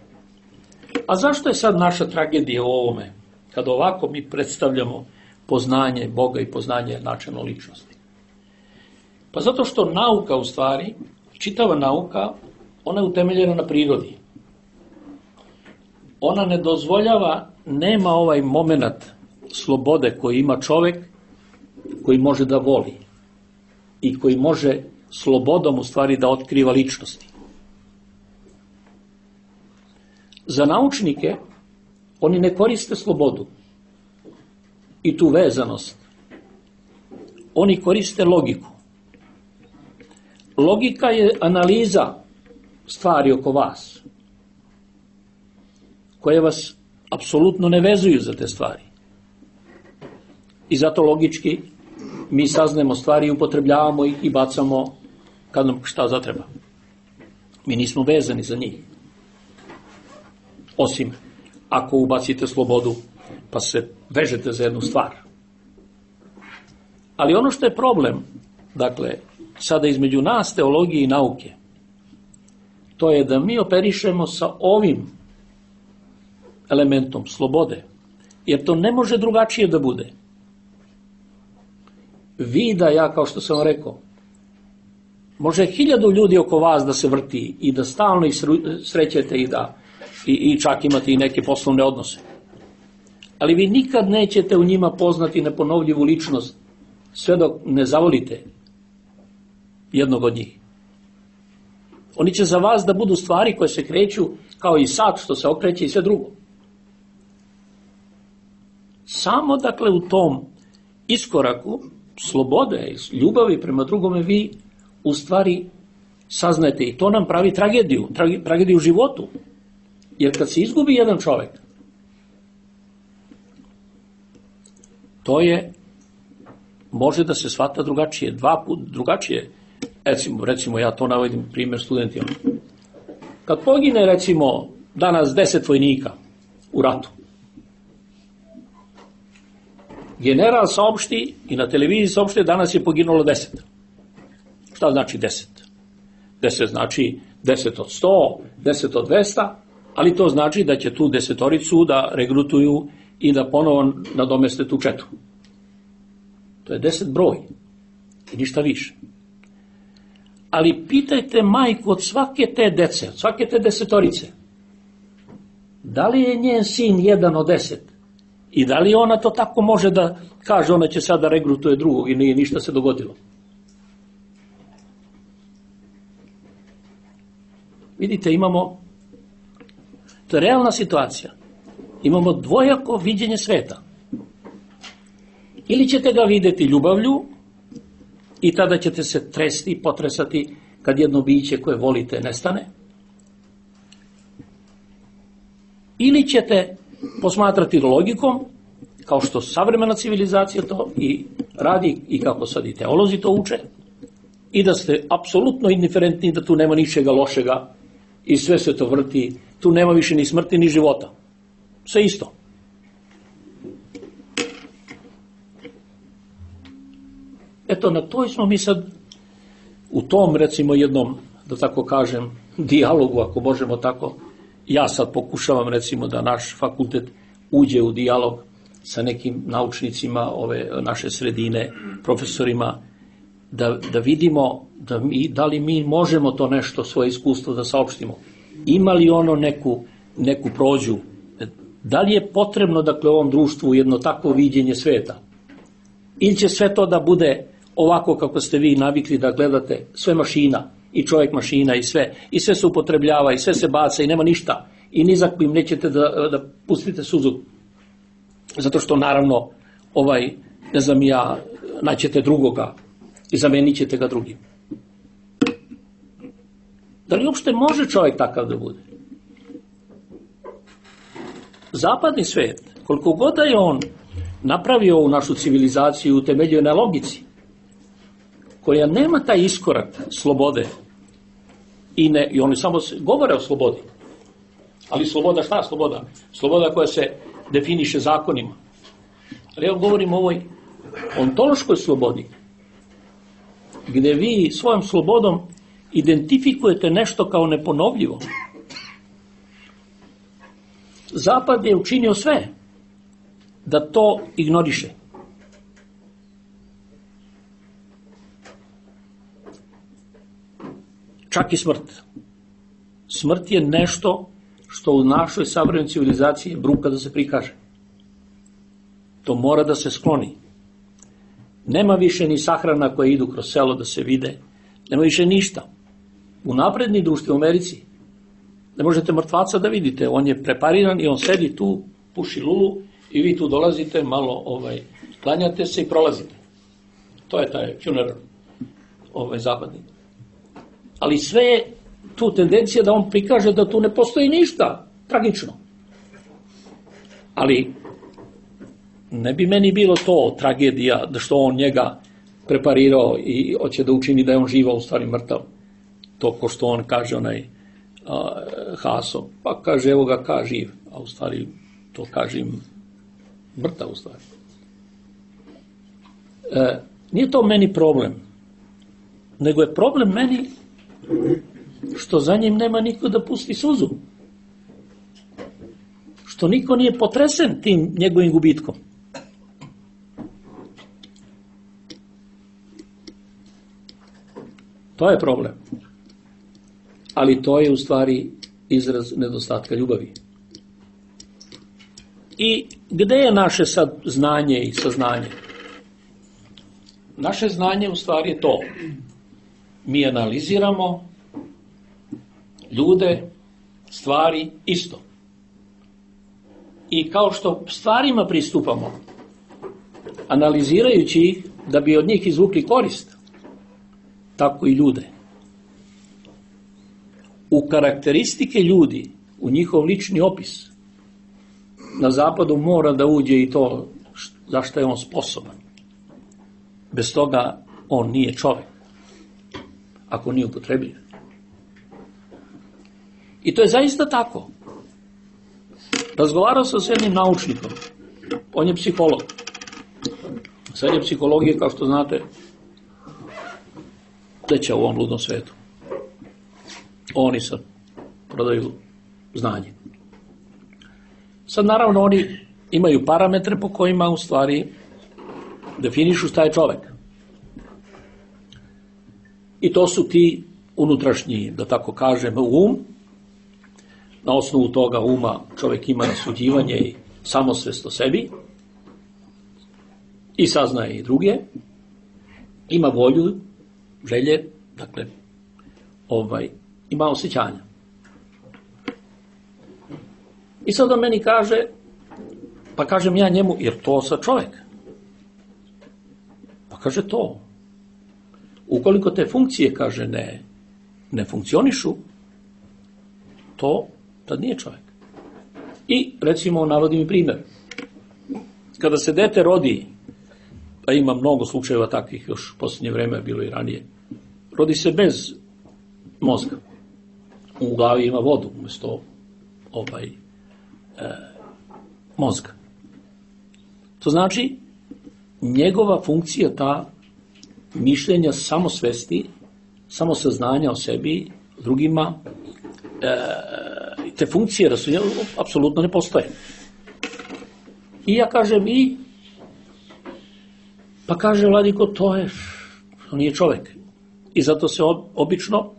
A zašto je sad naša tragedija u ovome, kada ovako mi predstavljamo poznanje Boga i poznanje načelno ličnosti? Pa zato što nauka u stvari, čitava nauka, ona je utemeljena na prirodi. Ona ne dozvoljava, nema ovaj moment slobode koji ima čovek koji može da voli i koji može slobodom u stvari da otkriva ličnosti. Za naučnike oni ne koriste slobodu i tu vezanost. Oni koriste logiku. Logika je analiza stvari oko vas, koje vas apsolutno ne vezuju za te stvari. I zato logički mi saznajemo stvari, upotrebljavamo ih i bacamo kad nam šta zatreba. Mi nismo vezani za njih. Osim ako ubacite slobodu pa se vežete za jednu stvar. Ali ono što je problem, dakle, sada između nas, teologije i nauke, to je da mi operišemo sa ovim elementom slobode, jer to ne može drugačije da bude. Vi da ja, kao što sam vam rekao, može 1000 ljudi oko vas da se vrti i da stalno ih srećete i čak imate i neke poslovne odnose. Ali vi nikad nećete u njima poznati neponovljivu ličnost sve dok ne zavolite jednog od njih. Oni će za vas da budu stvari koje se kreću kao i sat što se okreće i sve drugo. Samo dakle u tom iskoraku slobode i ljubavi prema drugome vi u stvari saznajete i to nam pravi tragediju u životu. Jer kad se izgubi jedan čovjek, to može da se shvata drugačije, 2 puta drugačije. Recimo ja to navodim primjer studentima. Kad pogine recimo danas 10 vojnika u ratu, general saopšti i na televiziji saopšti danas je poginulo 10. Šta znači 10? 10 znači 10 od 100, 10 od 200, ali to znači da će tu desetoricu da regrutuju i da ponovo nadomeste tu četu. To je 10 broj i ništa više. Ali pitajte majku od svake te dece, od svake te desetorice, da li je njen sin 1 od 10 i da li ona to tako može da kaže, ona će sada regrutuje drugog i nije ništa se dogodilo. Vidite, imamo, to je realna situacija, imamo dvojako viđenje sveta. Ili ćete ga vidjeti ljubavlju i tada ćete se tresti i potresati kad jedno biće koje volite nestane. Ili ćete posmatrati logikom, kao što savremena civilizacija to i radi i kako sad i teolozi to uče, i da ste apsolutno indiferentni, da tu nema ničega lošega i sve se to vrti, tu nema više ni smrti ni života. Sve isto. Eto, na toj smo mi sad, u tom, recimo, jednom, da tako kažem, dijalogu, ako možemo tako, ja sad pokušavam, recimo, da naš fakultet uđe u dijalog sa nekim naučnicima ove naše sredine, profesorima, da vidimo da li mi možemo to nešto, svoje iskustvo da saopštimo. Ima li ono neku prođu? Da li je potrebno, dakle, u ovom društvu jedno takvo viđenje sveta? Ili će sve to da bude ovako kako ste vi navikli da gledate, sve mašina, i čovjek mašina i sve se upotrebljava i sve se baca i nema ništa i ni za kojim nećete da pustite suzu. Zato što naravno ne znam ja, naćete drugoga i zamenit ćete ga drugim. Da li uopšte može čovjek takav da bude? Zapadni svet, koliko god da je on napravio ovu našu civilizaciju, utemeljuje na logici, koja nema taj iskorak slobode i oni samo govore o slobodi. Ali sloboda, šta je sloboda? Sloboda koja se definiše zakonima. Ali ja govorim o ovoj ontološkoj slobodi, gdje vi svojom slobodom identifikujete nešto kao neponovljivo. Zapad je učinio sve da to ignoriše. Čak i smrt. Smrt je nešto što u našoj savremenoj civilizaciji bruka da se prikaže. To mora da se skloni. Nema više ni sahrana koje idu kroz selo da se vide. Nema više ništa. U napredni društvi u Americi ne možete mrtvaca da vidite. On je prepariran i on sedi tu, puši lulu i vi tu dolazite, malo klanjate se i prolazite. To je taj funeral zapadni. Ali sve je tu tendencija da on prikaže da tu ne postoji ništa tragično. Ali ne bi meni bilo to tragedija da što on njega preparirao i hoće da učini da je on živa, u stvari mrtav. To ko što on kaže Haso, pa kaže evo ga ka živ, a u stvari to kaže im mrtav u stvari. Nije to meni problem, nego je problem meni što za njim nema niko da pusti suzu. Što niko nije potresen tim njegovim gubitkom. To je problem. Ali to je u stvari izraz nedostatka ljubavi. I gde je naše sad znanje i saznanje? Naše znanje u stvari je to. Mi analiziramo ljude, stvari isto. I kao što stvarima pristupamo, analizirajući ih da bi od njih izvukli korist, tako i ljude. U karakteristike ljudi, u njihov lični opis, na zapadu mora da uđe i to za što je on sposoban. Bez toga on nije čovjek, ako nije upotrebljiv. I to je zaista tako. Razgovarao sam s jednim naučnikom, on je psiholog. Sad je psihologija, kao što znate, veća u ovom ludnom svetu. Oni sad prodaju znanje. Sad naravno oni imaju parametre po kojima u stvari definišu šta je čovek. I to su ti unutrašnji, da tako kažem, um. Na osnovu toga uma čovek ima rasuđivanje i samosvest o sebi i saznaje i druge. Ima volju, želje, dakle, ima osjećanja. I sad on meni kaže, pa kažem ja njemu, jer to sad čovek. Pa kaže to. Ukoliko te funkcije, kaže, ne funkcionišu, to tad nije čovek. I, recimo, navodim i primjer. Kada se dete rodi, a ima mnogo slučajeva takvih, još u posljednje vreme, bilo i ranije, rodi se bez mozga. U glavi ima vodu umjesto mozga. To znači, njegova funkcija, ta mišljenja, samosvesti, samosaznanja o sebi, drugima, te funkcije apsolutno ne postoje. I ja kažem pa kaže vladiko, to nije čovek. I zato se obično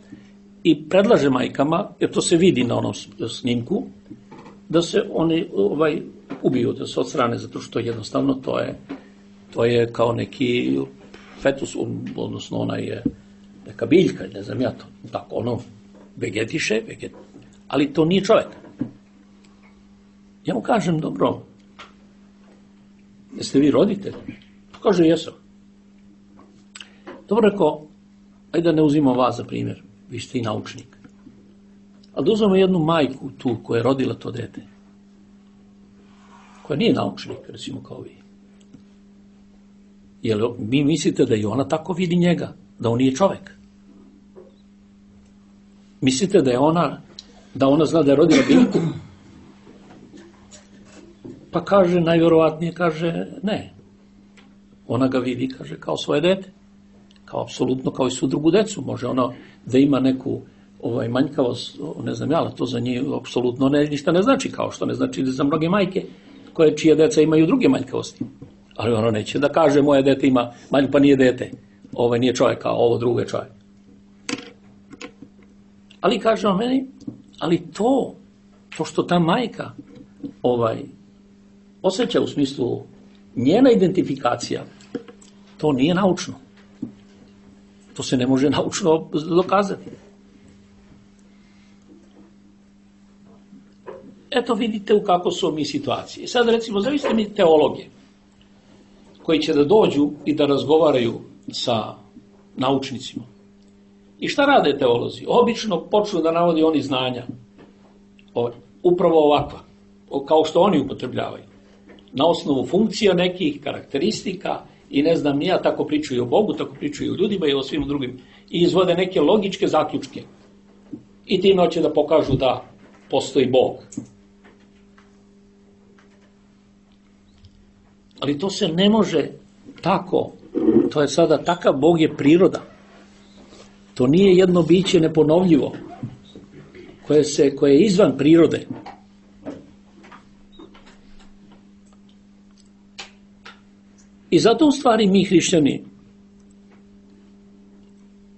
i predlaže majkama, jer to se vidi na onom snimku, da se oni ubiju, da se odstrane, zato što jednostavno to je kao neki fetus, odnosno ona je neka biljka, ne znam ja to, tako ono vegetiše, ali to nije čovjek. Ja mu kažem, dobro, jeste vi roditelj? Kaže, jesam. Dobro, rekao, ajde da ne uzimam vas za primjer, vi ste i naučnik. Ali da uzmemo jednu majku tu koja je rodila to dete, koja nije naučnik, recimo kao vi. Jer mi mislite da i ona tako vidi njega, da on nije čovjek. Mislite da ona zna da je rodila biljku? Pa kaže, najvjerovatnije, kaže, ne. Ona ga vidi, kaže, kao svoje dete. Kao apsolutno, kao i svu drugu decu. Može ona da ima neku manjkavost, ne znam ja, to za njih apsolutno ništa ne znači, kao što ne znači za mnoge majke čije deca imaju druge manjkavosti. Ali ono neće da kaže, moje dete ima manjku, pa nije dete. Nije čovjek, a ovo drugo je čovjek. Ali kaže on meni, ali to što ta majka osjeća u smislu njena identifikacija, to nije naučno. To se ne može naučno dokazati. Eto vidite u kako su mi situacije. Sad recimo, zavisite mi teologe koji će da dođu i da razgovaraju sa naučnicima. I šta rade teolozi? Obično počnu da navodi oni znanja. Upravo ovakva. Kao što oni upotrebljavaju. Na osnovu funkcija nekih karakteristika i ne znam nija, tako pričaju o Bogu, tako pričaju o ljudima i o svim drugim. I izvode neke logičke zaključke. I time hoće da pokažu da postoji Bog. Ali to se ne može tako. To je sada takav Bog je priroda. To nije jedno biće neponovljivo, koje je izvan prirode. I zato u stvari mi hrišćani,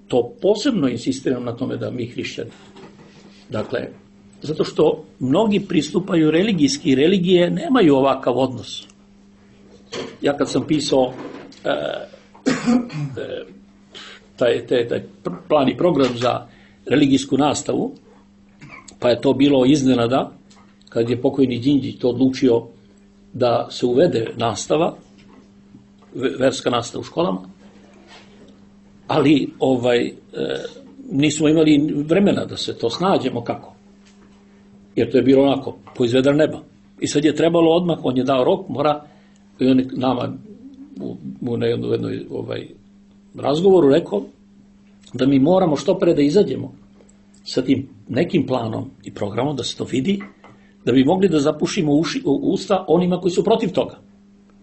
to posebno insistiram na tome da mi hrišćani, dakle, zato što mnogi pristupaju religijski i religije nemaju ovakav odnos. Ja kad sam pisao taj plan i program za religijsku nastavu, pa je to bilo iznenada, kad je pokojni Đinđić to odlučio da se uvede nastava, verska nastava u školama, ali nismo imali vremena da se to snađemo kako. Jer to je bilo onako, po izvedar neba. I sad je trebalo odmah, on je dao rok, mora, i on je nama na jednoj razgovoru rekao da mi moramo što pre da izađemo sa tim nekim planom i programom, da se to vidi, da bi mogli da zapušimo usta onima koji su protiv toga.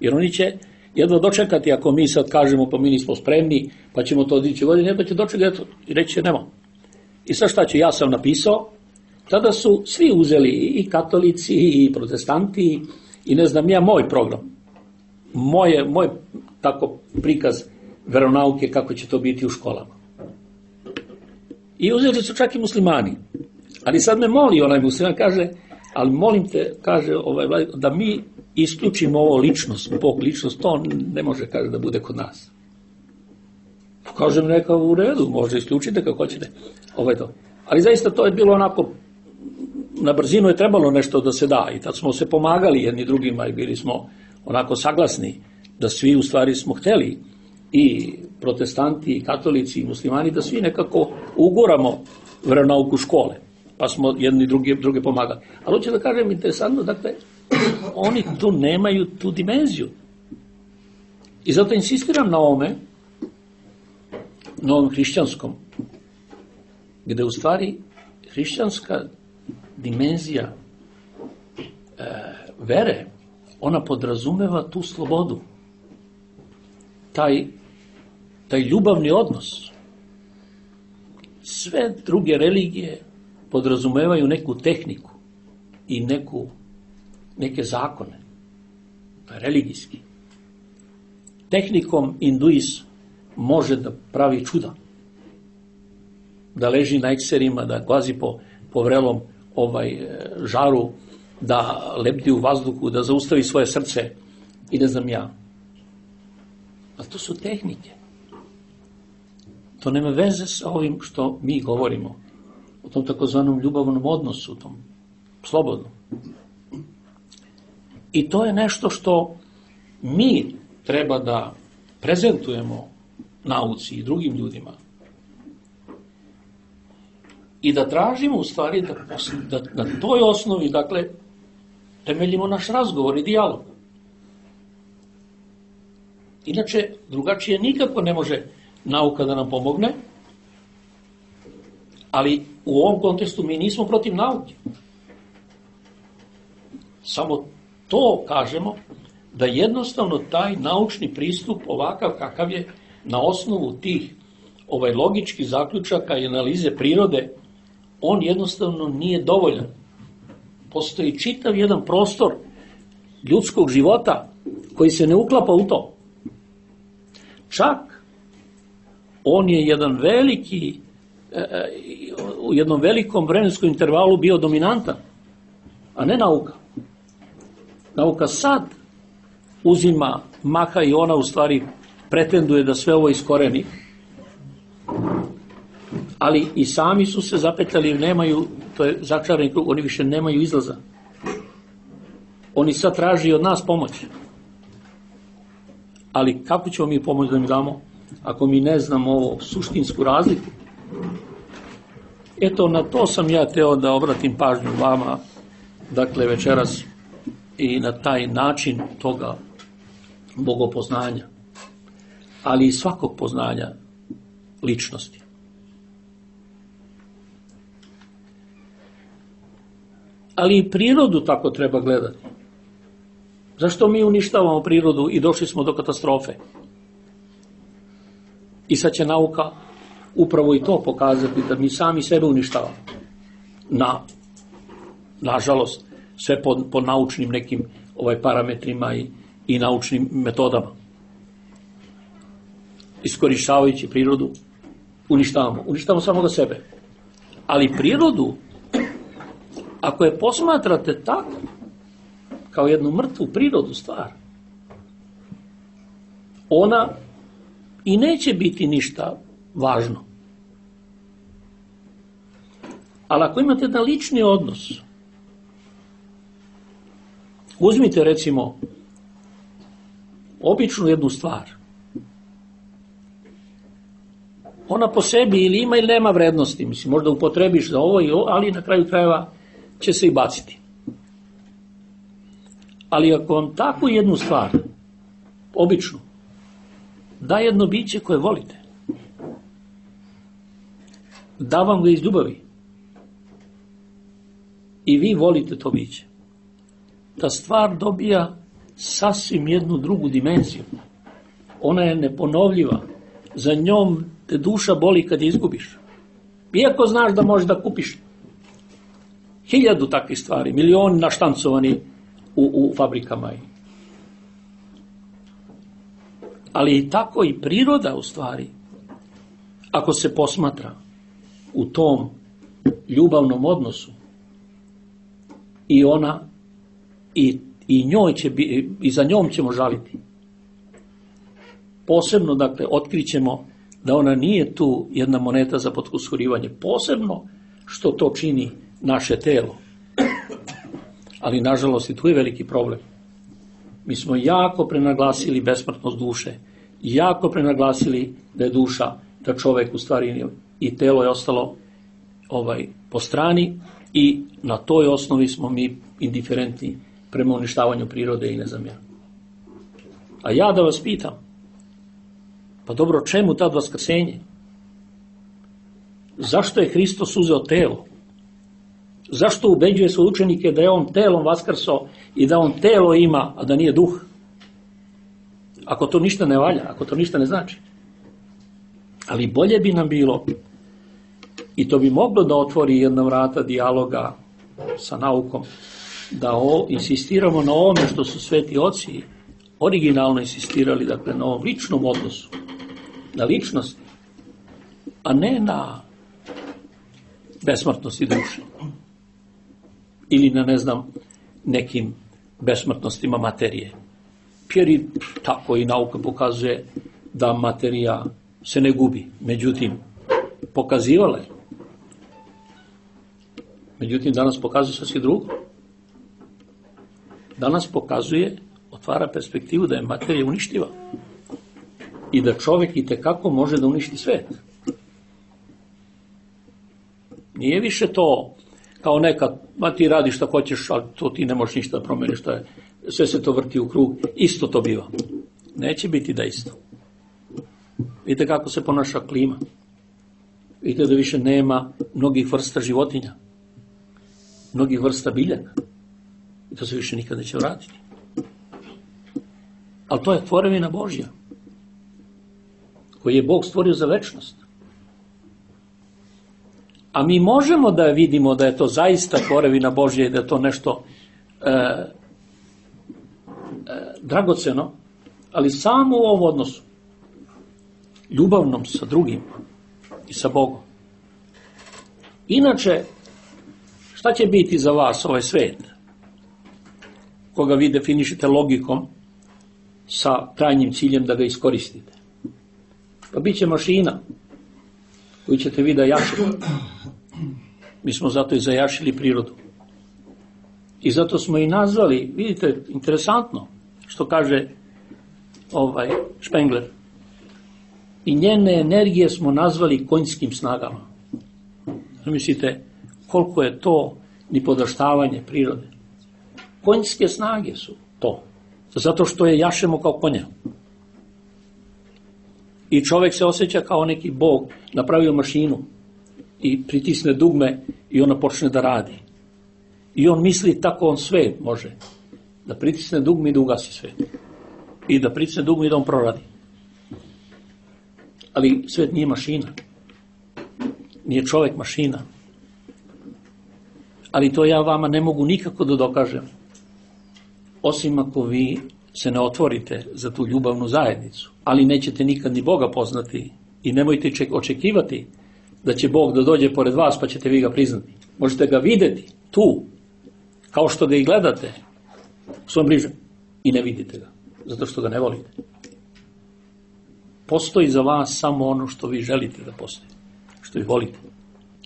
Jer oni će jedva dočekati ako mi sad kažemo pa mi nismo spremni, pa ćemo to dići godine, jedva će dočekati i reći će nema. I sad šta će, ja sam napisao, tada su svi uzeli i katolici i protestanti i ne znam ja moj program, moj tako prikaz veronauke kako će to biti u školama. I uzeli su čak i muslimani. Ali sad me moli onaj musliman, kaže, ali molim te, kaže, da mi isključimo ovo ličnost, Bog ličnost, to ne može, kaže, da bude kod nas. Kažem, neka u redu, može isključite kako hoćete. To. Ali zaista to je bilo onako, na brzinu je trebalo nešto da se da i tad smo se pomagali jedni drugima i bili smo onako saglasni da svi u stvari smo hteli i protestanti, i katolici, i muslimani, da svi nekako uguramo veronauku škole, pa smo jedni druge pomagali. Ali hoću da kažem, interesantno, dakle, oni tu nemaju tu dimenziju. I zato insistiram na ovome, na ovom hrišćanskom, gde u stvari hrišćanska dimenzija vere, ona podrazumeva tu slobodu, taj ljubavni odnos. Sve druge religije podrazumevaju neku tehniku i neke zakone. To je religijski. Tehnikom hinduizm može da pravi čuda. Da leži na ekserima, da gazi po vrelom žaru, da lebdi u vazduhu, da zaustavi svoje srce i ne znam ja. Ali to su tehnike. To nema veze sa ovim što mi govorimo. O tom takozvanom ljubavnom odnosu, tom slobodnom. I to je nešto što mi treba da prezentujemo nauci i drugim ljudima. I da tražimo u stvari da na toj osnovi, dakle, temeljimo naš razgovor i dijalog. Inače, drugačije nikako ne može nauka da nam pomogne, ali u ovom kontekstu mi nismo protiv nauke. Samo to kažemo da jednostavno taj naučni pristup ovakav kakav je na osnovu tih logičkih zaključaka i analize prirode, on jednostavno nije dovoljan. Postoji čitav jedan prostor ljudskog života koji se ne uklapa u to. Čak on je u jednom velikom vremenskom intervalu bio dominantan, a ne nauka. Nauka sad uzima maha i ona u stvari pretenduje da sve ovo iskoreni, ali i sami su se zapetljali, nemaju, to je začarani krug, oni više nemaju izlaza. Oni sad traži od nas pomoć. Ali kako ćemo mi pomoć da im damo ako mi ne znamo ovo suštinsku razliku? Eto, na to sam ja hteo da obratim pažnju vama, dakle večeras, i na taj način toga bogopoznanja, ali i svakog poznanja ličnosti. Ali i prirodu tako treba gledati. Zašto mi uništavamo prirodu i došli smo do katastrofe? I sad će nauka upravo i to pokazati, da mi sami sebe uništavamo. Nažalost, sve po naučnim nekim parametrima i naučnim metodama. Iskorištavajući prirodu, uništavamo samoga sebe. Ali prirodu, ako je posmatrate tako, kao jednu mrtvu prirodu stvar, ona i neće biti ništa važno. Ali ako imate jedan lični odnos, uzmite recimo običnu jednu stvar, ona po sebi ili ima ili nema vrednosti, mislim, možda upotrebiš za ovo, ali na kraju krajeva će se i baciti. Ali ako vam takvu jednu stvar, običnu, da jedno biće koje volite, da vam ga iz ljubavi i vi volite to biće, ta stvar dobija sasvim jednu drugu dimenziju. Ona je neponovljiva. Za njom te duša boli kad je izgubiš. Iako znaš da možeš da kupiš 1000 takvih stvari, milioni naštancovani u fabrikama. Ali i tako i priroda u stvari, ako se posmatra u tom ljubavnom odnosu, i ona i njoj će i za njom ćemo žaliti. Posebno, dakle, otkrićemo da ona nije tu jedna moneta za potkusurivanje, posebno što to čini naše telo. Ali, nažalost, i tu je veliki problem. Mi smo jako prenaglasili besmrtnost duše, jako prenaglasili da je duša, da čovek u stvari i telo je ostalo po strani i na toj osnovi smo mi indiferentni prema uništavanju prirode i ne znam ja. A ja da vas pitam, pa dobro, čemu tad vaskrsenje? Zašto je Hristos uzeo telo? Zašto ubeđuje svoje učenike da je on telom vaskrso i da on telo ima, a da nije duh? Ako to ništa ne valja, ako to ništa ne znači. Ali bolje bi nam bilo, i to bi moglo da otvori jedna vrata dijaloga sa naukom, da insistiramo na ovome što su sveti oci originalno insistirali, dakle na ovom ličnom odnosu, na ličnosti, a ne na besmrtnosti duše. Ili na, ne znam, nekim besmrtnostima materije. Jer tako i nauka pokazuje da materija se ne gubi. Međutim, pokazivala je. Međutim, danas pokazuje sasvim drugo. Danas pokazuje, otvara perspektivu da je materija uništiva. I da čovjek itekako može da uništi svet. Nije više to kao nekad, ti radiš šta hoćeš, ali to ti ne možeš ništa da promeniš, sve se to vrti u krug, isto to biva. Neće biti da isto. Vidite kako se ponaša klima. Vidite da više nema mnogih vrsta životinja, mnogih vrsta biljaka. I to se više nikad neće vratiti. Ali to je tvorevina Božja, koju je Bog stvorio za večnost. A mi možemo da vidimo da je to zaista tvorevina Božja i da je to nešto dragoceno, ali samo u ovom odnosu, ljubavnom sa drugim i sa Bogom. Inače, šta će biti za vas ovaj svet, koga vi definišete logikom sa krajnjim ciljem da ga iskoristite? Pa bit će mašina koju ćete vi da jašite. Mi smo zato i zajašili prirodu. I zato smo i nazvali, vidite, interesantno, što kaže Spengler, i njene energije smo nazvali konjskim snagama. Mislite, koliko je to nipodaštavanje prirode. Konjske snage su to. Zato što je jašemo kao konja. I čovjek se osjeća kao neki Bog, napravio mašinu i pritisne dugme i ona počne da radi. I on misli tako on sve može. Da pritisne dugme i da ugasi sve. I da pritisne dugme i da on proradi. Ali svet nije mašina. Nije čovjek mašina. Ali to ja vama ne mogu nikako da dokažem. Osim ako vi se ne otvorite za tu ljubavnu zajednicu. Ali nećete nikad ni Boga poznati i nemojte očekivati da će Bog da dođe pored vas pa ćete vi ga priznati. Možete ga vidjeti tu, kao što ga i gledate u svom bližem i ne vidite ga, zato što ga ne volite. Postoji za vas samo ono što vi želite da postoji, što vi volite.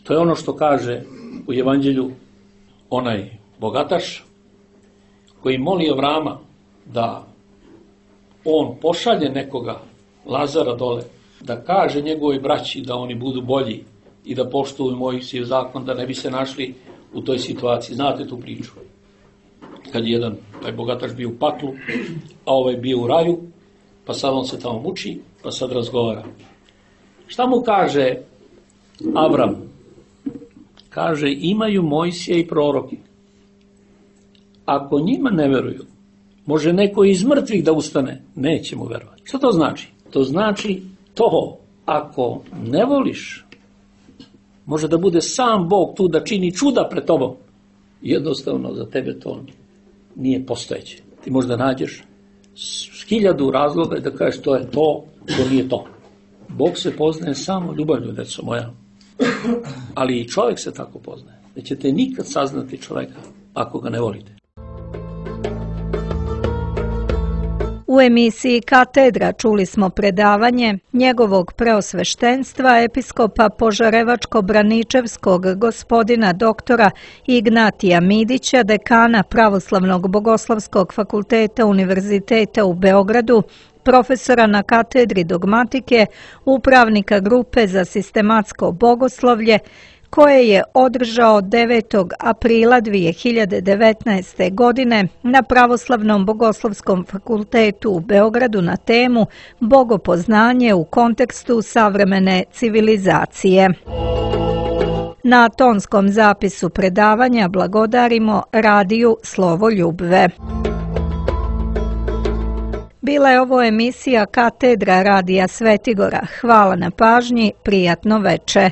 To je ono što kaže u Evanđelju onaj bogataš koji moli Avrama da on pošalje nekoga, Lazara dole, da kaže njegovoj braći da oni budu bolji i da poštuju Mojsijev zakon, da ne bi se našli u toj situaciji. Znate tu priču. Kad je jedan, taj bogataš bio u paklu, a ovaj bio u raju, pa sad on se tamo muči, pa sad razgovara. Šta mu kaže Avram? Kaže, imaju Mojsije i proroki. Ako njima ne veruju, Može neko iz mrtvih da ustane, nećemo verovati. Što to znači? To znači to, ako ne voliš, može da bude sam Bog tu da čini čuda pred tobom. Jednostavno za tebe to nije postojeće. Ti možda nađeš 1000 razloga da kažeš to je to nije to. Bog se poznaje samo ljubavlju, deco moja. Ali i čovjek se tako poznaje. Nećete nikad saznati čovjeka ako ga ne volite. U emisiji Katedra čuli smo predavanje njegovog preosveštenstva episkopa Požarevačko-Braničevskog gospodina doktora Ignatija Midića, dekana Pravoslavnog bogoslovskog fakulteta Univerziteta u Beogradu, profesora na katedri dogmatike, upravnika grupe za sistematsko bogoslovlje, koje je održao 9. aprila 2019. godine na Pravoslavnom bogoslovskom fakultetu u Beogradu na temu Bogopoznanje u kontekstu savremene civilizacije. Na tonskom zapisu predavanja blagodarimo Radiju Slovo Ljubve. Bila je ovo emisija Katedra Radija Svetigora. Hvala na pažnji, prijatno veče.